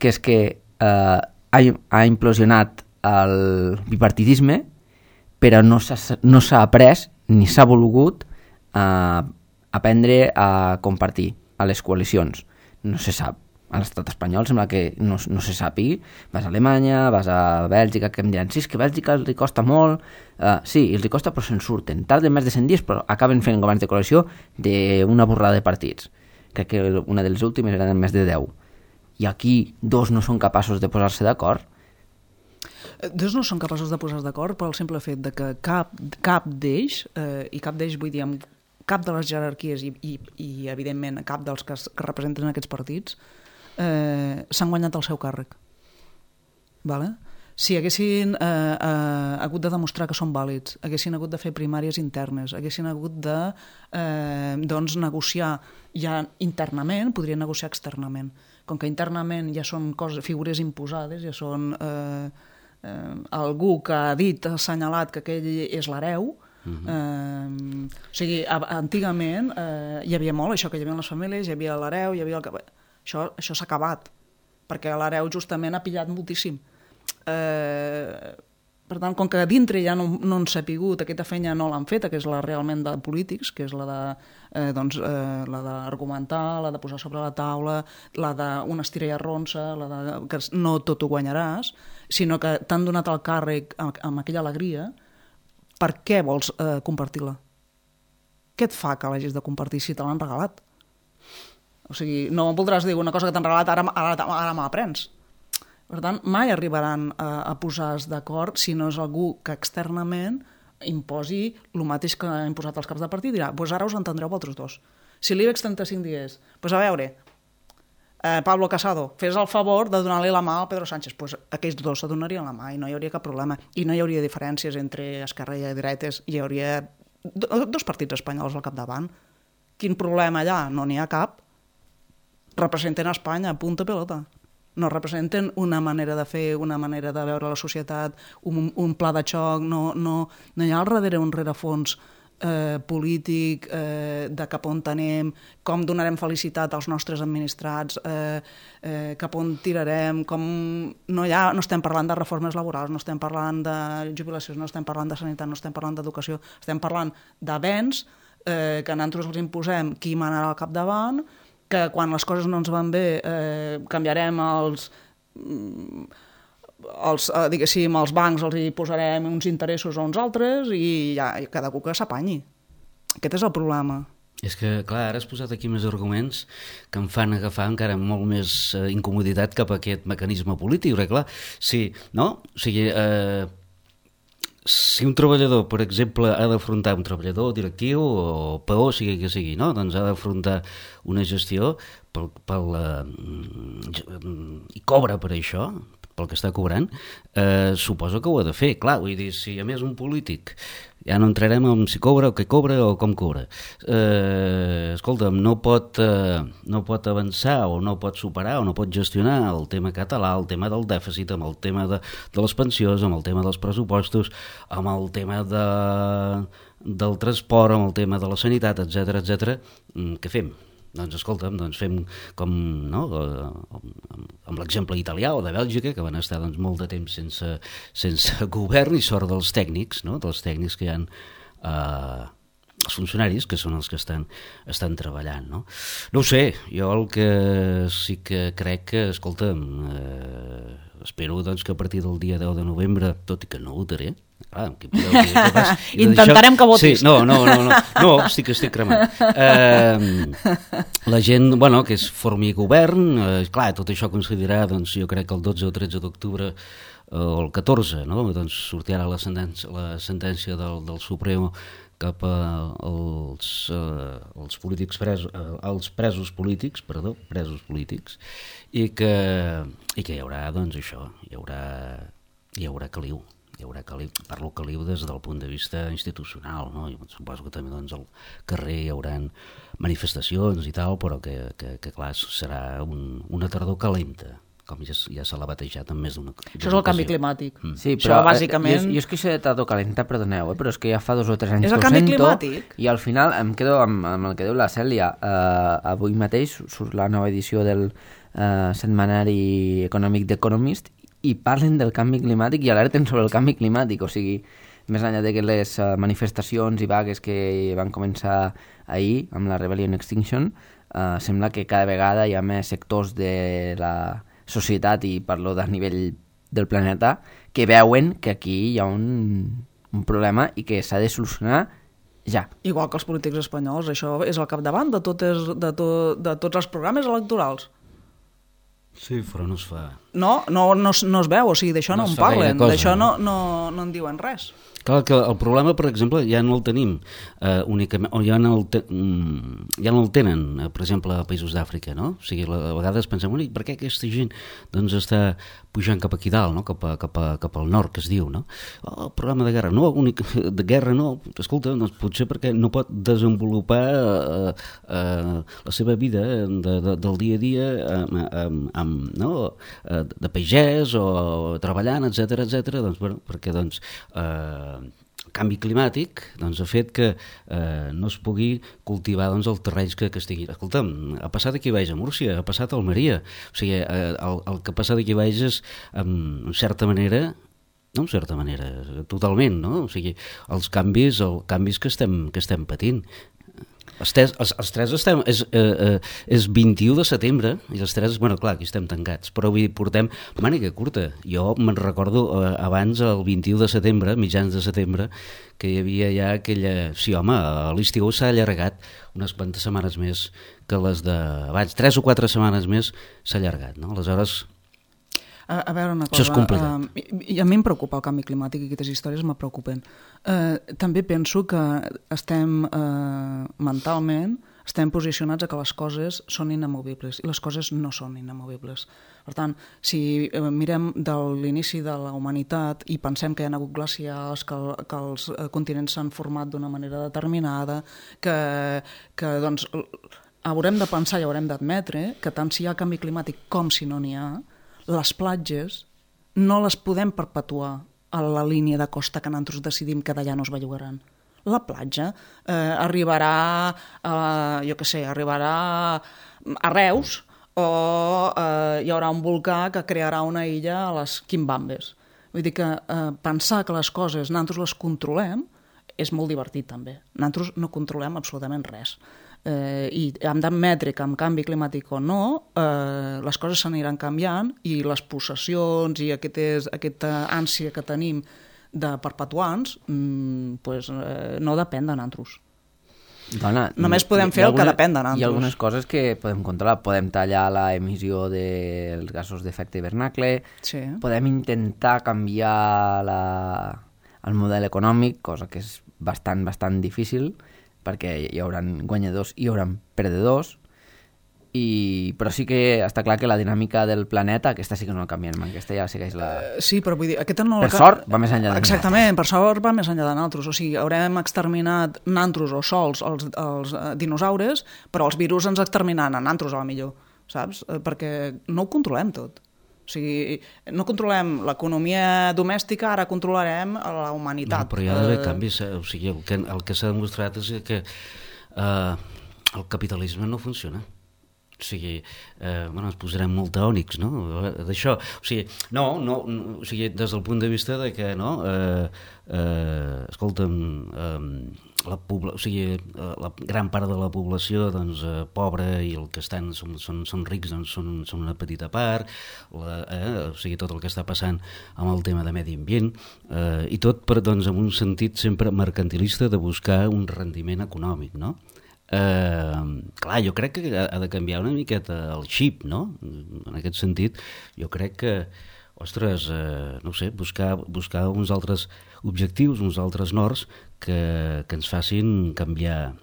que és que uh, ha, ha implosionat el bipartidisme, però no s'ha, no s'ha après ni s'ha volgut uh, aprendre a compartir a les coalicions. No se sap. A l'estat espanyol sembla que no, no se sàpigui. Vas a Alemanya, vas a Bèlgica, que em diran, sí, és que a Bèlgica els costa molt. Uh, sí, els costa, però se'n surten. Tarden més de cent dies, però acaben fent governs de coalició d'una borrada de partits. Crec que una de les últimes eren més de deu. I aquí dos no són capaços de posar-se d'acord. Dos no són capaços de posar-se d'acord pel simple fet de que cap, cap d'ells, eh, i cap d'ells vull dir amb cap de les jerarquies i, i, i evidentment, cap dels que, que representen aquests partits eh, s'han guanyat el seu càrrec. Vale? Si haguessin eh, eh, hagut de demostrar que són vàlids, haguessin hagut de fer primàries internes, haguessin hagut de eh, doncs, negociar ja internament, podrien negociar externament. Com que internament ja són coses, figures imposades, ja són eh, eh, algú que ha dit, ha assenyalat que aquell és l'hereu. Uh-huh. eh, o sigui, a, antigament eh, hi havia molt això, que hi havia les famílies, hi havia l'hereu, hi havia el... Això, això s'ha acabat, perquè l'hereu justament ha pillat moltíssim. Eh, per tant, com que dintre ja no, no han sapigut, aquesta feina no l'han feta, que és la realment de polítics, que és la de eh, doncs, eh, la d'argumentar, la de posar sobre la taula, la d'una estira i arronsa, la de que no tot ho guanyaràs, sinó que t'han donat el càrrec amb, amb aquella alegria, per què vols eh, compartir-la? Què et fa que l'hagis de compartir si te l'han regalat? O sigui, no voldràs dir una cosa que t'han regalat, ara, ara, ara me la prens. Per tant, mai arribaran a, a posar-se d'acord si no és algú que externament imposi el mateix que ha imposat els caps de partit i dirà, doncs ara us entendreu vosaltres dos. Si l'IBEX trenta-cinc dies, doncs a veure, eh, Pablo Casado, fes el favor de donar-li la mà al Pedro Sánchez, doncs aquells dos se donarien la mà i no hi hauria cap problema. I no hi hauria diferències entre esquerra i dretes, hi hauria dos partits espanyols al capdavant. Quin problema allà? No n'hi ha cap. Representen Espanya, punta pelota. No representen una manera de fer, una manera de veure la societat, un, un pla de xoc, no, no, no hi ha al darrere un rerefons eh, polític eh, de cap on anem, com donarem felicitat als nostres administrats, eh, eh, cap on tirarem, com... No, hi ha, no estem parlant de reformes laborals, no estem parlant de jubilacions, no estem parlant de sanitat, no estem parlant d'educació, estem parlant d'avenç eh, que nosaltres els imposem qui manarà al capdavant, que quan les coses no ens van bé eh, canviarem els, els, eh, diguéssim, els bancs, els hi posarem uns interessos o uns altres i ja cada cuca s'apanyi. Aquest és el problema. És que, clar, ara has posat aquí més arguments que em fan agafar encara molt més eh, incomoditat cap a aquest mecanisme polític, perquè, clar, sí, no? O sigui, eh, si un treballador, per exemple, ha d'afrontar un treballador directiu o peó, sigui que sigui, no? Doncs ha d'afrontar una gestió pel, pel, eh, i cobra per això, pel que està cobrant, eh, suposo que ho ha de fer. Clar, vull dir, si a més un polític, ja no entrarem en si cobra o què cobra o com cobra, eh, escolta'm, no pot, eh, no pot avançar o no pot superar o no pot gestionar el tema català, el tema del dèficit, amb el tema de, de les pensions, amb el tema dels pressupostos, amb el tema de, del transport, amb el tema de la sanitat, etcètera, etcètera, què fem? Doncs escolta'm, doncs fem com, no, amb l'exemple italià o de Bèlgica, que van estar doncs, molt de temps sense, sense govern i sort dels tècnics, no? Dels tècnics que hi ha eh, els funcionaris, que són els que estan, estan treballant. No? No ho sé, jo el que sí que crec que, escolta'm, eh, espero doncs, que a partir del dia deu de novembre, tot i que no votaré, clar, que podeu dir, que pas, intentarem que votis. Sí, no, no, no, no, no, estic, estic cremant. Eh, la gent, bueno, que es formi govern, eh, clar, tot això coincidirà, doncs, jo crec que el dotze o tretze d'octubre o el catorze, no? Doncs sortirà la sentència, la sentència del, del Supremo cap als, eh, els polítics presos, eh, als presos polítics, perdó, presos polítics, i que, i que hi haurà, doncs, això, hi haurà, hi haurà caliu. Hi haurà caliu, parlo caliu des del punt de vista institucional, no? Jo suposo que també doncs, al carrer hi haurà manifestacions i tal, però que, que, que clar, serà un, una tardor calenta, com ja, ja se l'ha batejat en més d'una ocasió. Això és el canvi climàtic. Mm. Sí, però això, bàsicament... jo, jo és que això de tardor calenta, perdoneu, eh, però és que ja fa dos o tres anys és el que ho canvi sento, climàtic. I al final em quedo amb, amb el que diu la Cèlia. Uh, avui mateix surt la nova edició del uh, setmanari econòmic d'Economist i parlen del canvi climàtic i alerten sobre el canvi climàtic, o sigui, més enllà de que les uh, manifestacions i vagues que van començar ahir amb la Rebellion Extinction, uh, sembla que cada vegada hi ha més sectors de la societat, i parlo de nivell del planeta, que veuen que aquí hi ha un, un problema i que s'ha de solucionar ja. Igual que els polítics espanyols, això és al capdavant de, totes, de, to, de tots els programes electorals. Sí, però no es fa... No, no, no, es- no es veu, o sigui, d'això no, No es en fa gaire parlen, cosa, d'això no, no? no, no en diuen res. Clar, que el problema, per exemple, ja no el tenim eh, únicament, o ja no el, te, mm, ja no el tenen, eh, per exemple, a països d'Àfrica, no? O sigui, a vegades pensem, "Ui, per què aquesta gent doncs, està pujant cap aquí dalt, no? cap, a, cap, a, cap al nord, que es diu, no? Oh, el programa de guerra, no, únic, de guerra no, escolta, doncs, potser perquè no pot desenvolupar eh, eh, la seva vida de, de, del dia a dia amb, amb, amb, no? eh, de pagès o treballant, etcètera, etcètera, doncs, bueno, perquè doncs, eh, el canvi climàtic doncs, ha fet que eh, no es pugui cultivar doncs, els terrenys que, que estiguin. Escolta'm, ha passat aquí baix a Múrcia, ha passat a Almeria. O sigui, eh, el, el que ha passat aquí baix és, en, en certa manera, no en certa manera, totalment, no? O sigui, els canvis, els canvis que estem, que estem patint. Els tres, els, els tres estem... És, eh, eh, és vint-i-u de setembre, i els tres, bueno, clar, aquí estem tancats, però avui portem màniga curta. Jo me'n recordo eh, abans, el vint-i-u de setembre, mitjans de setembre, que hi havia ja aquella... Sí, home, l'estiu s'ha allargat unes quantes setmanes més que les d'abans. Tres o quatre setmanes més s'ha allargat, no? Aleshores... A, a veure una cosa, Això és complicat. uh, i, i a mi em preocupa el canvi climàtic i aquestes històries me preocupen. Uh, també penso que estem uh, mentalment estem posicionats a que les coses són inamovibles i les coses no són inamovibles. Per tant, si uh, mirem de l'inici de la humanitat i pensem que hi ha hagut glacials, que, el, que els uh, continents s'han format d'una manera determinada, que, que doncs, haurem de pensar i haurem d'admetre que tant si hi ha canvi climàtic com si no n'hi ha, les platges no les podem perpetuar a la línia de costa que nosaltres decidim que d'allà no es bellugaran. La platja eh, arribarà, eh, jo què sé, arribarà a Reus o eh, hi haurà un volcà que crearà una illa a les Quimbambes. Vull dir que eh, pensar que les coses nosaltres les controlem és molt divertit també. Nosaltres no controlem absolutament res. Eh, i hem d'admetre que amb canvi climàtic o no eh, les coses s'aniran canviant i les possessions i aquestes, aquesta ànsia que tenim de perpetuants mm, pues, eh, no depèn de nosaltres. Dona, Només podem fer el que depèn de nosaltres. Hi ha algunes coses que podem controlar. Podem tallar la emissió dels gasos d'efecte hivernacle, Sí. podem intentar canviar la, el model econòmic, cosa que és bastant, bastant difícil, perquè hi haurà guanyadors i hi haurà perdedors, i... però sí que està clar que la dinàmica del planeta, aquesta sí que no la canviem, aquesta ja segueix la... Eh, Sí, però vull dir, aquesta no... Per la... sort, va més enllà de Exactament, per sort va més enllà de nosaltres. O sigui, haurem exterminat nosaltres o sols els, els eh, dinosaures, però els virus ens exterminaran a nosaltres, a la millor, saps? Eh, perquè no ho controlem tot. O sigui, no controlem l'economia domèstica, ara controlarem la humanitat. No, però hi ha d'haver Eh, canvis. O sigui, el que, el que s'ha demostrat és que eh, el capitalisme no funciona. O sigui, eh, bueno, ens posarem molt teònics, no?, d'això. O sigui, no, no, no, o sigui, des del punt de vista de que, no, eh, eh, escolta'm, eh, la, pobla, o sigui, la gran part de la població, doncs, eh, pobra, i el que estan són, són, són rics, doncs, són, són una petita part, la, eh, o sigui, tot el que està passant amb el tema de medi ambient, eh, i tot per, doncs, en un sentit sempre mercantilista de buscar un rendiment econòmic, no? Eh, clar, jo crec que ha de canviar una miqueta el xip, no? En aquest sentit, jo crec que, ostres, eh, no ho sé, buscar, buscar uns altres objectius, uns altres nords que, que ens facin canviar,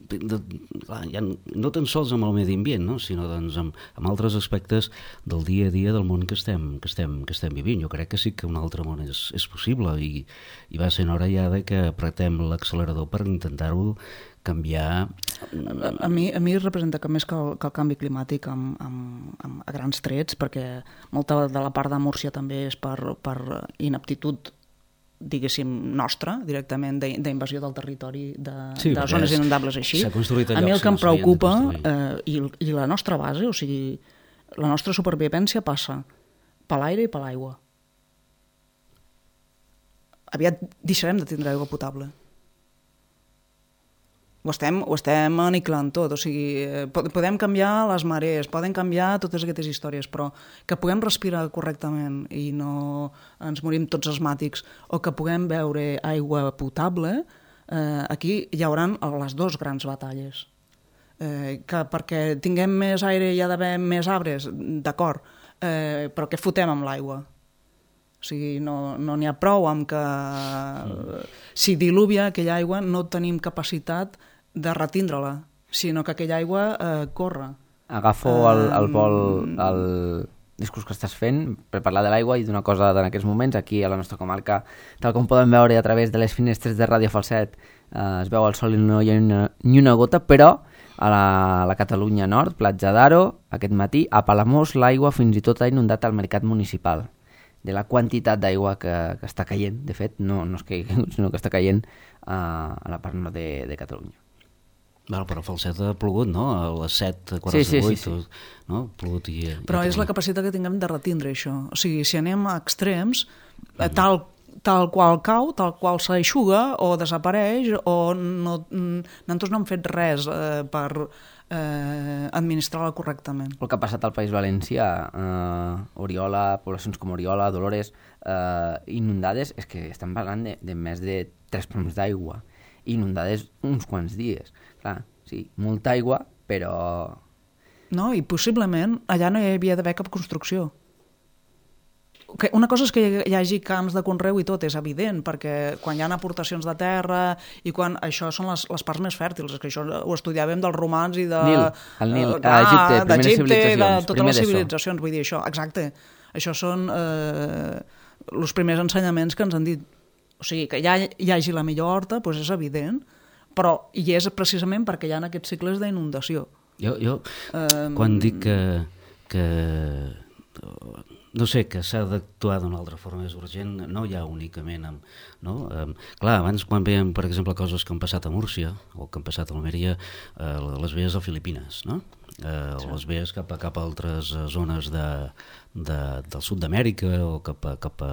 de, clar, ja no tan sols amb el medi ambient, no? Sinó doncs, amb, amb altres aspectes del dia a dia del món que estem, que estem, que estem vivint. Jo crec que sí que un altre món és, és possible, i, i va ser hora ja de que apretem l'accelerador per intentar-ho canviar. A, a, mi, a mi representa que més que el, que el canvi climàtic amb, amb, amb, a grans trets, perquè molta de la part de Múrcia també és per, per inaptitud, diguéssim, nostra, directament d'invasió del territori de, Sí, de zones és- inundables així. s'ha construït a A mi el llocs que em que no s'havien de preocupa, construir. eh, i, i la nostra base, o sigui, la nostra supervivència passa per l'aire i per l'aigua. Aviat deixarem de tindre aigua potable. Ho estem, ho estem aniquilant tot, o sigui, eh, pod- podem canviar les marees, poden canviar totes aquestes històries, però que puguem respirar correctament i no ens morim tots asmàtics, o que puguem beure aigua potable, eh, aquí hi haurà les dues grans batalles. Eh, que perquè tinguem més aire hi ha d'haver més arbres, d'acord, eh, però què fotem amb l'aigua? O sigui, no n'hi no ha prou amb que mm. si diluvia aquella aigua no tenim capacitat de retindre-la, sinó que aquella aigua eh, corre. Agafo el, el vol, el discurs que estàs fent per parlar de l'aigua i d'una cosa en aquests moments aquí a la nostra comarca, tal com podem veure a través de les finestres de Ràdio Falset, eh, es veu el sol i no hi ha una, ni una gota, però a la, a la Catalunya Nord, Platja d'Aro, aquest matí, a Palamós, l'aigua fins i tot ha inundat el mercat municipal. De la quantitat d'aigua que, que està caient, de fet, no, no és que sinó que està caient a, a la part nord de, de Catalunya. Bueno, però a Falset ha plogut, no? A les set quaranta-vuit, sí, sí, sí, sí. No? Plogut i, però i és la capacitat que tinguem de retindre això. O sigui, si anem a extrems, mm. tal tal qual cau, tal qual s'aixuga o desapareix o no, nosaltres no hem fet res eh, per eh, administrar-la correctament. El que ha passat al País Valencià, eh, Oriola, poblacions com Oriola, Dolores, eh, inundades, és que estan parlant de, de més de tres ploms d'aigua, inundades uns quants dies. Clar, sí, molta aigua, però... No, i possiblement allà no hi havia d'haver cap construcció. Una cosa és que hi hagi camps de conreu i tot, és evident, perquè quan hi ha aportacions de terra i quan això són les, les parts més fèrtils, és que això ho estudiàvem dels romans i de... Nil, el Nil, a Egipte, primeres civilitzacions. De totes les civilitzacions, vull dir això, exacte. Això són eh, els primers ensenyaments que ens han dit. O sigui, que ja hi hagi la millor horta, doncs és evident, però hi és precisament perquè hi ha aquests cicles d'inundació. Jo, jo um... quan dic que... que... no sé, que s'ha d'actuar d'una altra forma més urgent, no ja únicament amb... No? Um, clar, abans quan veiem, per exemple, coses que han passat a Múrcia o que han passat a Almeria, eh, les veies a Filipines, no? Eh, sí. Les veies cap a, cap a altres zones de, de, del sud d'Amèrica o cap a... Cap a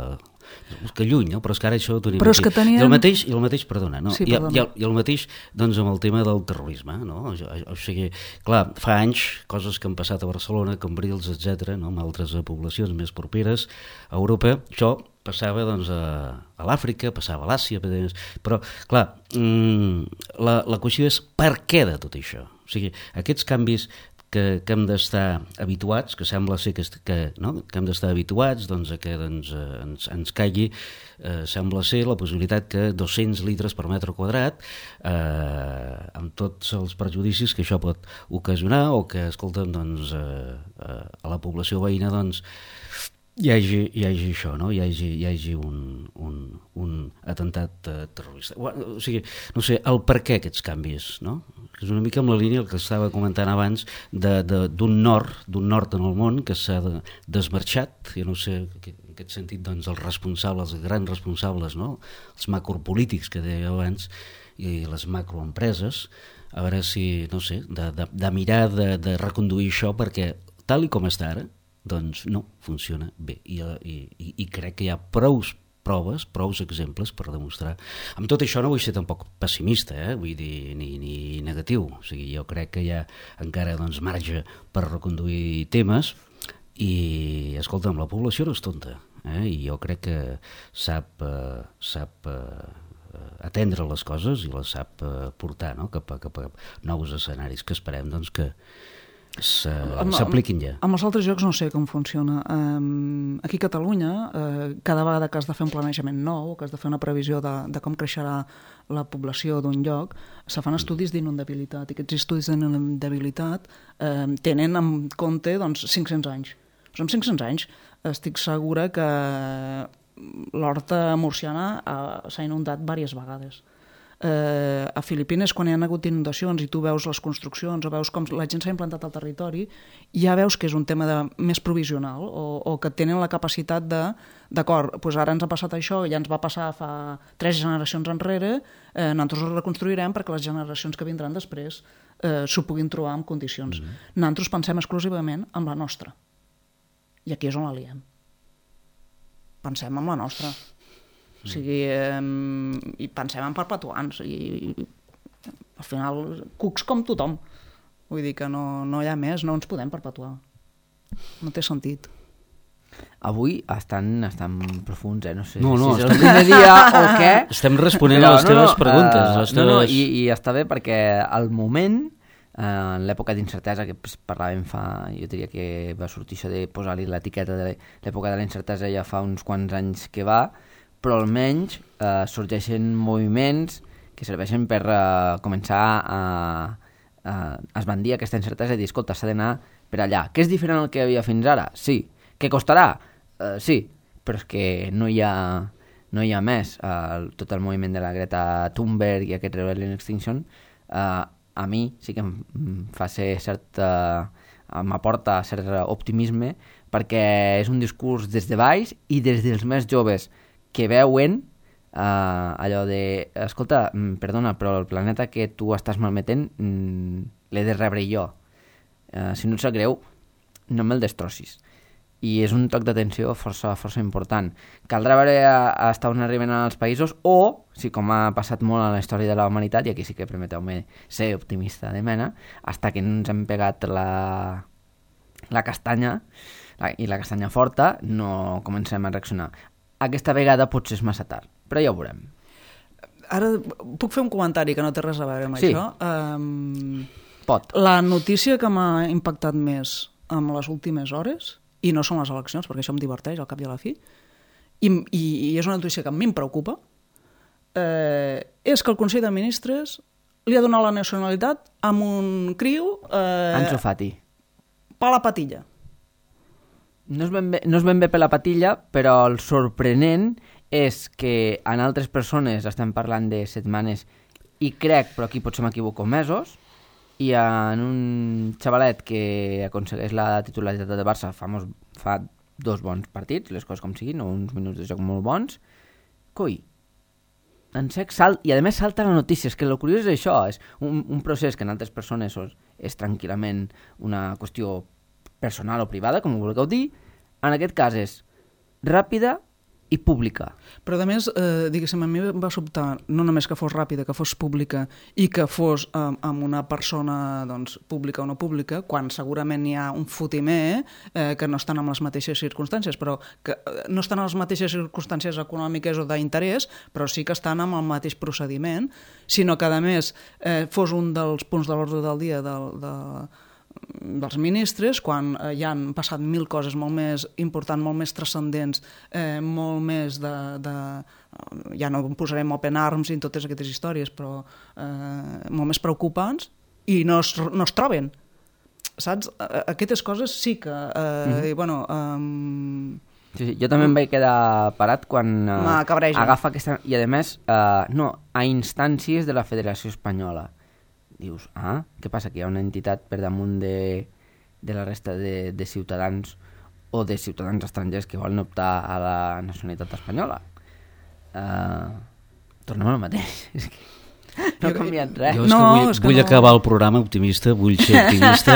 que lluny, no? Però és que ara això ho tenim però aquí. Teníem... I el mateix, i el mateix, perdona, no? Sí, I, perdona. I, el, I el mateix doncs, amb el tema del terrorisme, no? O, o sigui, clar, fa anys, coses que han passat a Barcelona, Cambrils, etcètera, no? Amb altres poblacions més properes a Europa, això passava doncs, a, a l'Àfrica, passava a l'Àsia, però, clar, mmm, la, la qüestió és per què de tot això? O sigui, aquests canvis que, que hem d'estar habituats, que sembla ser que, que, no? que hem d'estar habituats doncs, a que doncs, ens, ens caigui, eh, sembla ser la possibilitat que dos-cents litres per metre quadrat, eh, amb tots els perjudicis que això pot ocasionar, o que, escolta'm, doncs, eh, eh, a la població veïna, doncs, hi hagi, hi hagi això, no? hi hagi, hi hagi un, un, un atemptat uh, terrorista. O sigui, no sé, el per què aquests canvis, no? És una mica amb la línia que estava comentant abans de, de, d'un nord, d'un nord en el món que s'ha de, desmarxat, jo no sé, en aquest sentit, doncs, els responsables, els grans responsables, no? Els macropolítics que deia abans, i les macroempreses, a veure si, no sé, de, de, de mirar de, de reconduir això, perquè tal i com està ara, doncs no funciona bé i, i, i crec que hi ha prous proves, prous exemples per demostrar. Amb tot això no vull ser tampoc pessimista, eh? Vull dir, ni, ni negatiu, o sigui, jo crec que hi ha encara doncs, marge per reconduir temes i, escolta'm, la població no és tonta, eh? I jo crec que sap, eh, sap eh, atendre les coses i les sap eh, portar, no? cap, a, cap a nous escenaris que esperem doncs, que s'apliquin ja. Amb els altres jocs no sé com funciona. Um, aquí a Catalunya, uh, cada vegada que has de fer un planejament nou, que has de fer una previsió de, de com creixerà la població d'un lloc, se fan estudis d'inundabilitat, i aquests estudis d'inundabilitat uh, tenen en compte doncs, cinc-cents anys. Doncs amb cinc-cents anys estic segura que l'horta murciana uh, s'ha inundat diverses vegades. Eh, a Filipines, quan hi ha hagut inundacions i tu veus les construccions o veus com la gent s'ha implantat al territori, ja veus que és un tema de, més provisional o, o que tenen la capacitat de, d'acord, doncs ara ens ha passat això, ja ens va passar fa tres generacions enrere, eh, nosaltres ho reconstruirem perquè les generacions que vindran després eh, s'ho puguin trobar en condicions. Mm-hmm. Nosaltres pensem exclusivament en la nostra. I aquí és on la liem. Pensem en la nostra. O sigui, eh, i pensem en perpetuants i, i al final cucs com tothom, vull dir que no, no hi ha més, no ens podem perpetuar, no té sentit. Avui estan, estan profuns, eh? No sé no, no, si és el primer dia o què. Estem responent però, a les no, teves no, preguntes. Uh, les teves... No, no, i, i està bé perquè al moment en l'època d'incertesa que pues, parlàvem fa, jo diria que va sortir això de posar-li l'etiqueta de l'època de la incertesa ja fa uns quants anys que va, però almenys eh, sorgeixen moviments que serveixen per eh, començar a, a esbandir aquesta incertesa i dir, escolta, s'ha d'anar per allà. Què és diferent del que hi havia fins ara? Sí. Què costarà? Uh, sí, però és que no hi ha, no hi ha més. Uh, tot el moviment de la Greta Thunberg i aquest Rebellion Extinction uh, a mi sí que em fa ser cert, uh, m'aporta cert optimisme perquè és un discurs des de baix i des dels més joves que veuen uh, allò de, escolta, perdona, però el planeta que tu estàs malmetent mm, l'he de rebre jo. Uh, si no et sap greu, no me'l destrossis. I és un toc d'atenció força, força important. Caldrà veure fins on arriben els països o, si com ha passat molt a la història de la humanitat, i aquí sí que permeteu-me ser optimista de mena, fins que ens hem pegat la, la castanya la, i la castanya forta, no comencem a reaccionar. Aquesta vegada potser és massa tard, però ja ho veurem. Ara puc fer un comentari que no té res a veure amb sí. això? Um, Pot. La notícia que m'ha impactat més en les últimes hores, i no són les eleccions, perquè això em diverteix al cap i a la fi, i, i, i és una notícia que a mi em preocupa, eh, és que el Consell de Ministres li ha donat la nacionalitat amb un criu... Eh, Ansu Fati. Per la patilla. No és, ben bé, no és ben bé per la patilla, però el sorprenent és que en altres persones estem parlant de setmanes i crec, però aquí potser m'equivoco, mesos, i en un xavalet que aconsegueix la titularitat de Barça fa, mos, fa dos bons partits, les coses com siguin, o uns minuts de joc molt bons, coi, en sec salt, i a més salta la notícia, és que el curiós és això, és un, un procés que en altres persones és, és tranquil·lament una qüestió personal o privada, com ho vulgueu dir, en aquest cas és ràpida i pública. Però a més, eh, diguéssim, a mi va sobtar no només que fos ràpida, que fos pública i que fos eh, amb una persona doncs, pública o no pública, quan segurament hi ha un fotimer eh, que no estan en les mateixes circumstàncies, però que eh, no estan en les mateixes circumstàncies econòmiques o d'interès, però sí que estan amb el mateix procediment, sinó que a més eh, fos un dels punts de l'ordre del dia del, de, dels ministres, quan eh, hi han passat mil coses molt més importants, molt més transcendents, eh, molt més de, de... ja no posarem open arms i totes aquestes històries, però eh, molt més preocupants, i no es, no es troben. Saps? Aquestes coses sí que... Eh, mm-hmm. i, bueno, eh, sí, sí, jo també em vaig quedar parat quan uh, agafa aquesta... I a més, uh, no, a instàncies de la Federació Espanyola. Dius, ah, què passa? Que hi ha una entitat per damunt de, de la resta de, de ciutadans o de ciutadans estrangers que volen optar a la nacionalitat espanyola. Uh, tornem al mateix. És que no ha canviat res. Jo és no, que vull, és que vull no. acabar el programa optimista, vull ser optimista.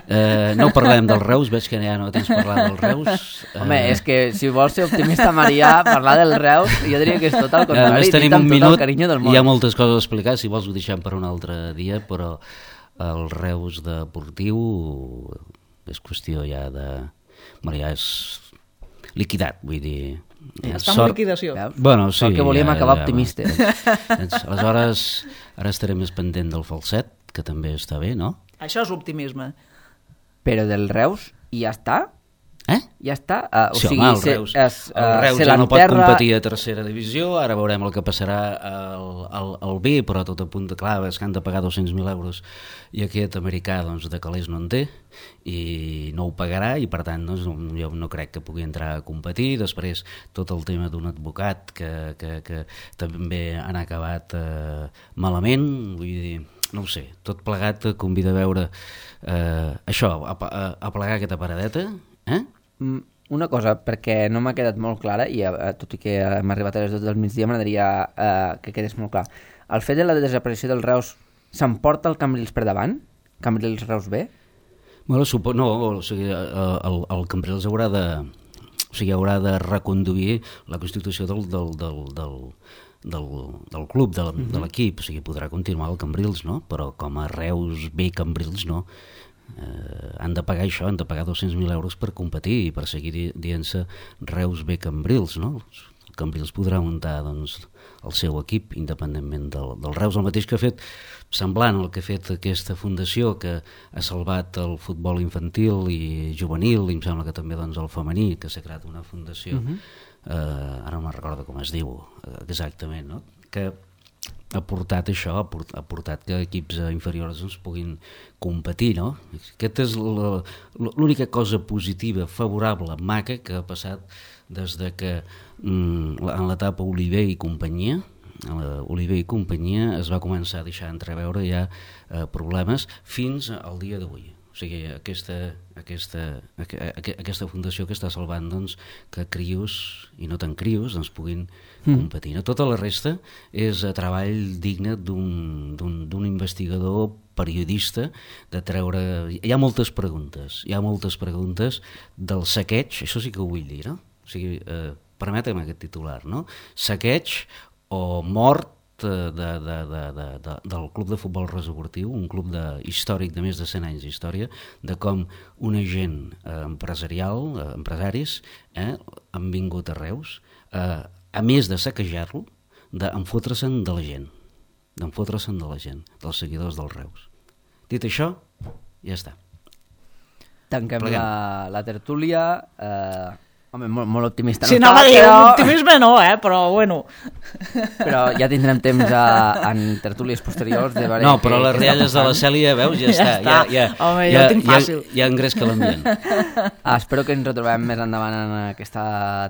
Eh, no parlem dels Reus, veig que ja no tens parlar dels Reus. Home, eh... és que si vols ser optimista, Marià, parlar dels Reus, jo diria que és tot el contrari. Eh, tenim un minut, tot el carinyo del món. Hi ha moltes coses a explicar, si vols ho deixem per un altre dia, però el Reus deportiu és qüestió ja de... Marià és liquidat, vull dir... Ja està en liquidació. Bueno, sí, el que volíem ja, acabar ja, optimistes. Doncs, aleshores, ara estaré més pendent del falset, que també està bé, no? Això és optimisme. Però del Reus, i ja està? Eh? Ja està? Uh, o sí, sigui, home, el se, Reus, es, uh, el Reus ja no pot competir a tercera divisió, ara veurem el que passarà al, al, al B, però tot a punt de clar, és que han de pagar dos-cents mil euros i aquest americà doncs, de calés no en té i no ho pagarà i per tant doncs, jo no crec que pugui entrar a competir. Després tot el tema d'un advocat que, que, que també han acabat eh, malament, vull dir, no ho sé, tot plegat convida a veure eh, això, a, a, a plegar aquesta paradeta. Eh? Una cosa, perquè no m'ha quedat molt clara i eh, tot i que hem arribat a les dues del migdia m'agradaria eh, que quedés molt clar. El fet de la desaparició del Reus s'emporta el Cambrils per davant? Cambrils Reus B? Bueno, supo, no, o sigui, el, el Cambrils haurà de, o sigui, haurà de reconduir la constitució del, del, del, del, del, del club, de, uh-huh. de l'equip, o sigui, podrà continuar el Cambrils, no? Però com a Reus B Cambrils, no. Eh, han de pagar això, han de pagar dos-cents mil euros per competir i per seguir dient-se Reus B Cambrils, no? Cambrils podrà muntar doncs, el seu equip, independentment del, del Reus, el mateix que ha fet, semblant al que ha fet aquesta fundació, que ha salvat el futbol infantil i juvenil, i em sembla que també doncs, el femení, que s'ha creat una fundació, uh-huh. eh, ara no me'n recordo com es diu exactament, no? Que ha portat això, ha portat, ha portat que equips inferiors doncs, puguin competir, no? Aquesta és la, l'única cosa positiva, favorable, maca, que ha passat des de que mm, en l'etapa Oliver i companyia, Oliver i companyia es va començar a deixar entreveure ja eh, problemes fins al dia d'avui. O sigui, aquesta, aquesta, aquesta fundació que està salvant doncs, que crios, i no tan crios, doncs, puguin competir. Mm. Tota la resta és treball digne d'un, d'un, d'un investigador periodista, de treure... Hi ha moltes preguntes, hi ha moltes preguntes del saqueig, això sí que ho vull dir, no? O sigui, eh, permetem aquest titular, no? Saqueig o mort De, de, de, de, de, del Club de Futbol Resoportiu, un club de, històric de més de cent anys d'història, de com un agent eh, empresarial, eh, empresaris, eh, han vingut a Reus, eh, a més de saquejar-lo, d'enfotre-se'n de la gent, d'enfotre-se'n de la gent, dels seguidors del Reus. Dit això, ja està. Tanquem la, la tertúlia... Eh... Home, molt, molt optimista. Sí, no, no, dir, però... optimisme no, eh? Però bueno. Però ja tindrem temps a, en tertúlies posteriors de veure... No, però que, les rialles de la Cèlia, veus, ja, ja està. està. Ja, ja, Home, ja, ja ho tinc fàcil. Ja, ja engresca l'ambient. Ah, espero que ens retrobem més endavant en aquesta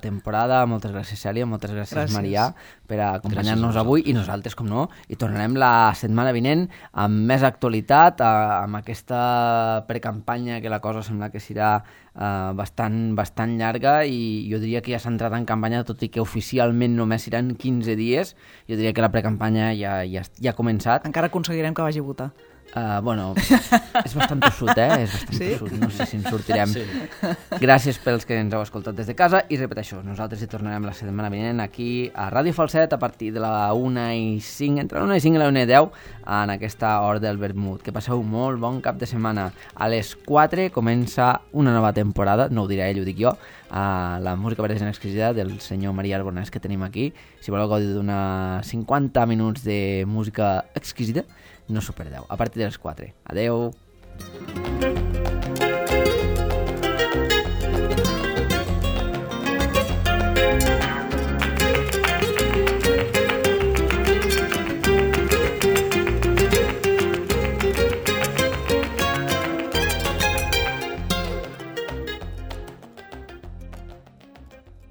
temporada. Moltes gràcies, Cèlia, moltes gràcies, gràcies. Marià, per acompanyar-nos avui, i nosaltres, com no, i tornarem la setmana vinent amb més actualitat, amb aquesta precampanya que la cosa sembla que serà Uh, bastant, bastant llarga, i jo diria que ja s'ha entrat en campanya, tot i que oficialment només seran quinze dies. Jo diria que la precampanya ja, ja, ja ha començat. Encara aconseguirem que vagi a votar. Uh, bueno, és bastant tossut, eh? És bastant sí? tossut, no sé si ens sortirem. Sí. Gràcies pels que ens heu escoltat des de casa, i repeteixo, nosaltres hi tornarem la setmana vinent aquí a Ràdio Falset a partir de la una i cinc, entre la una i cinc i la una i deu, en aquesta hora del vermut. Que passeu molt bon cap de setmana. A les quatre comença una nova temporada, no ho diré ell, ho dic jo, a la música verda exquisida del senyor Marià Albonès, que tenim aquí. Si voleu gaudir d'una cinquanta minuts de música exquisida, no s'ho perdeu, a partir de les quatre. Adeu!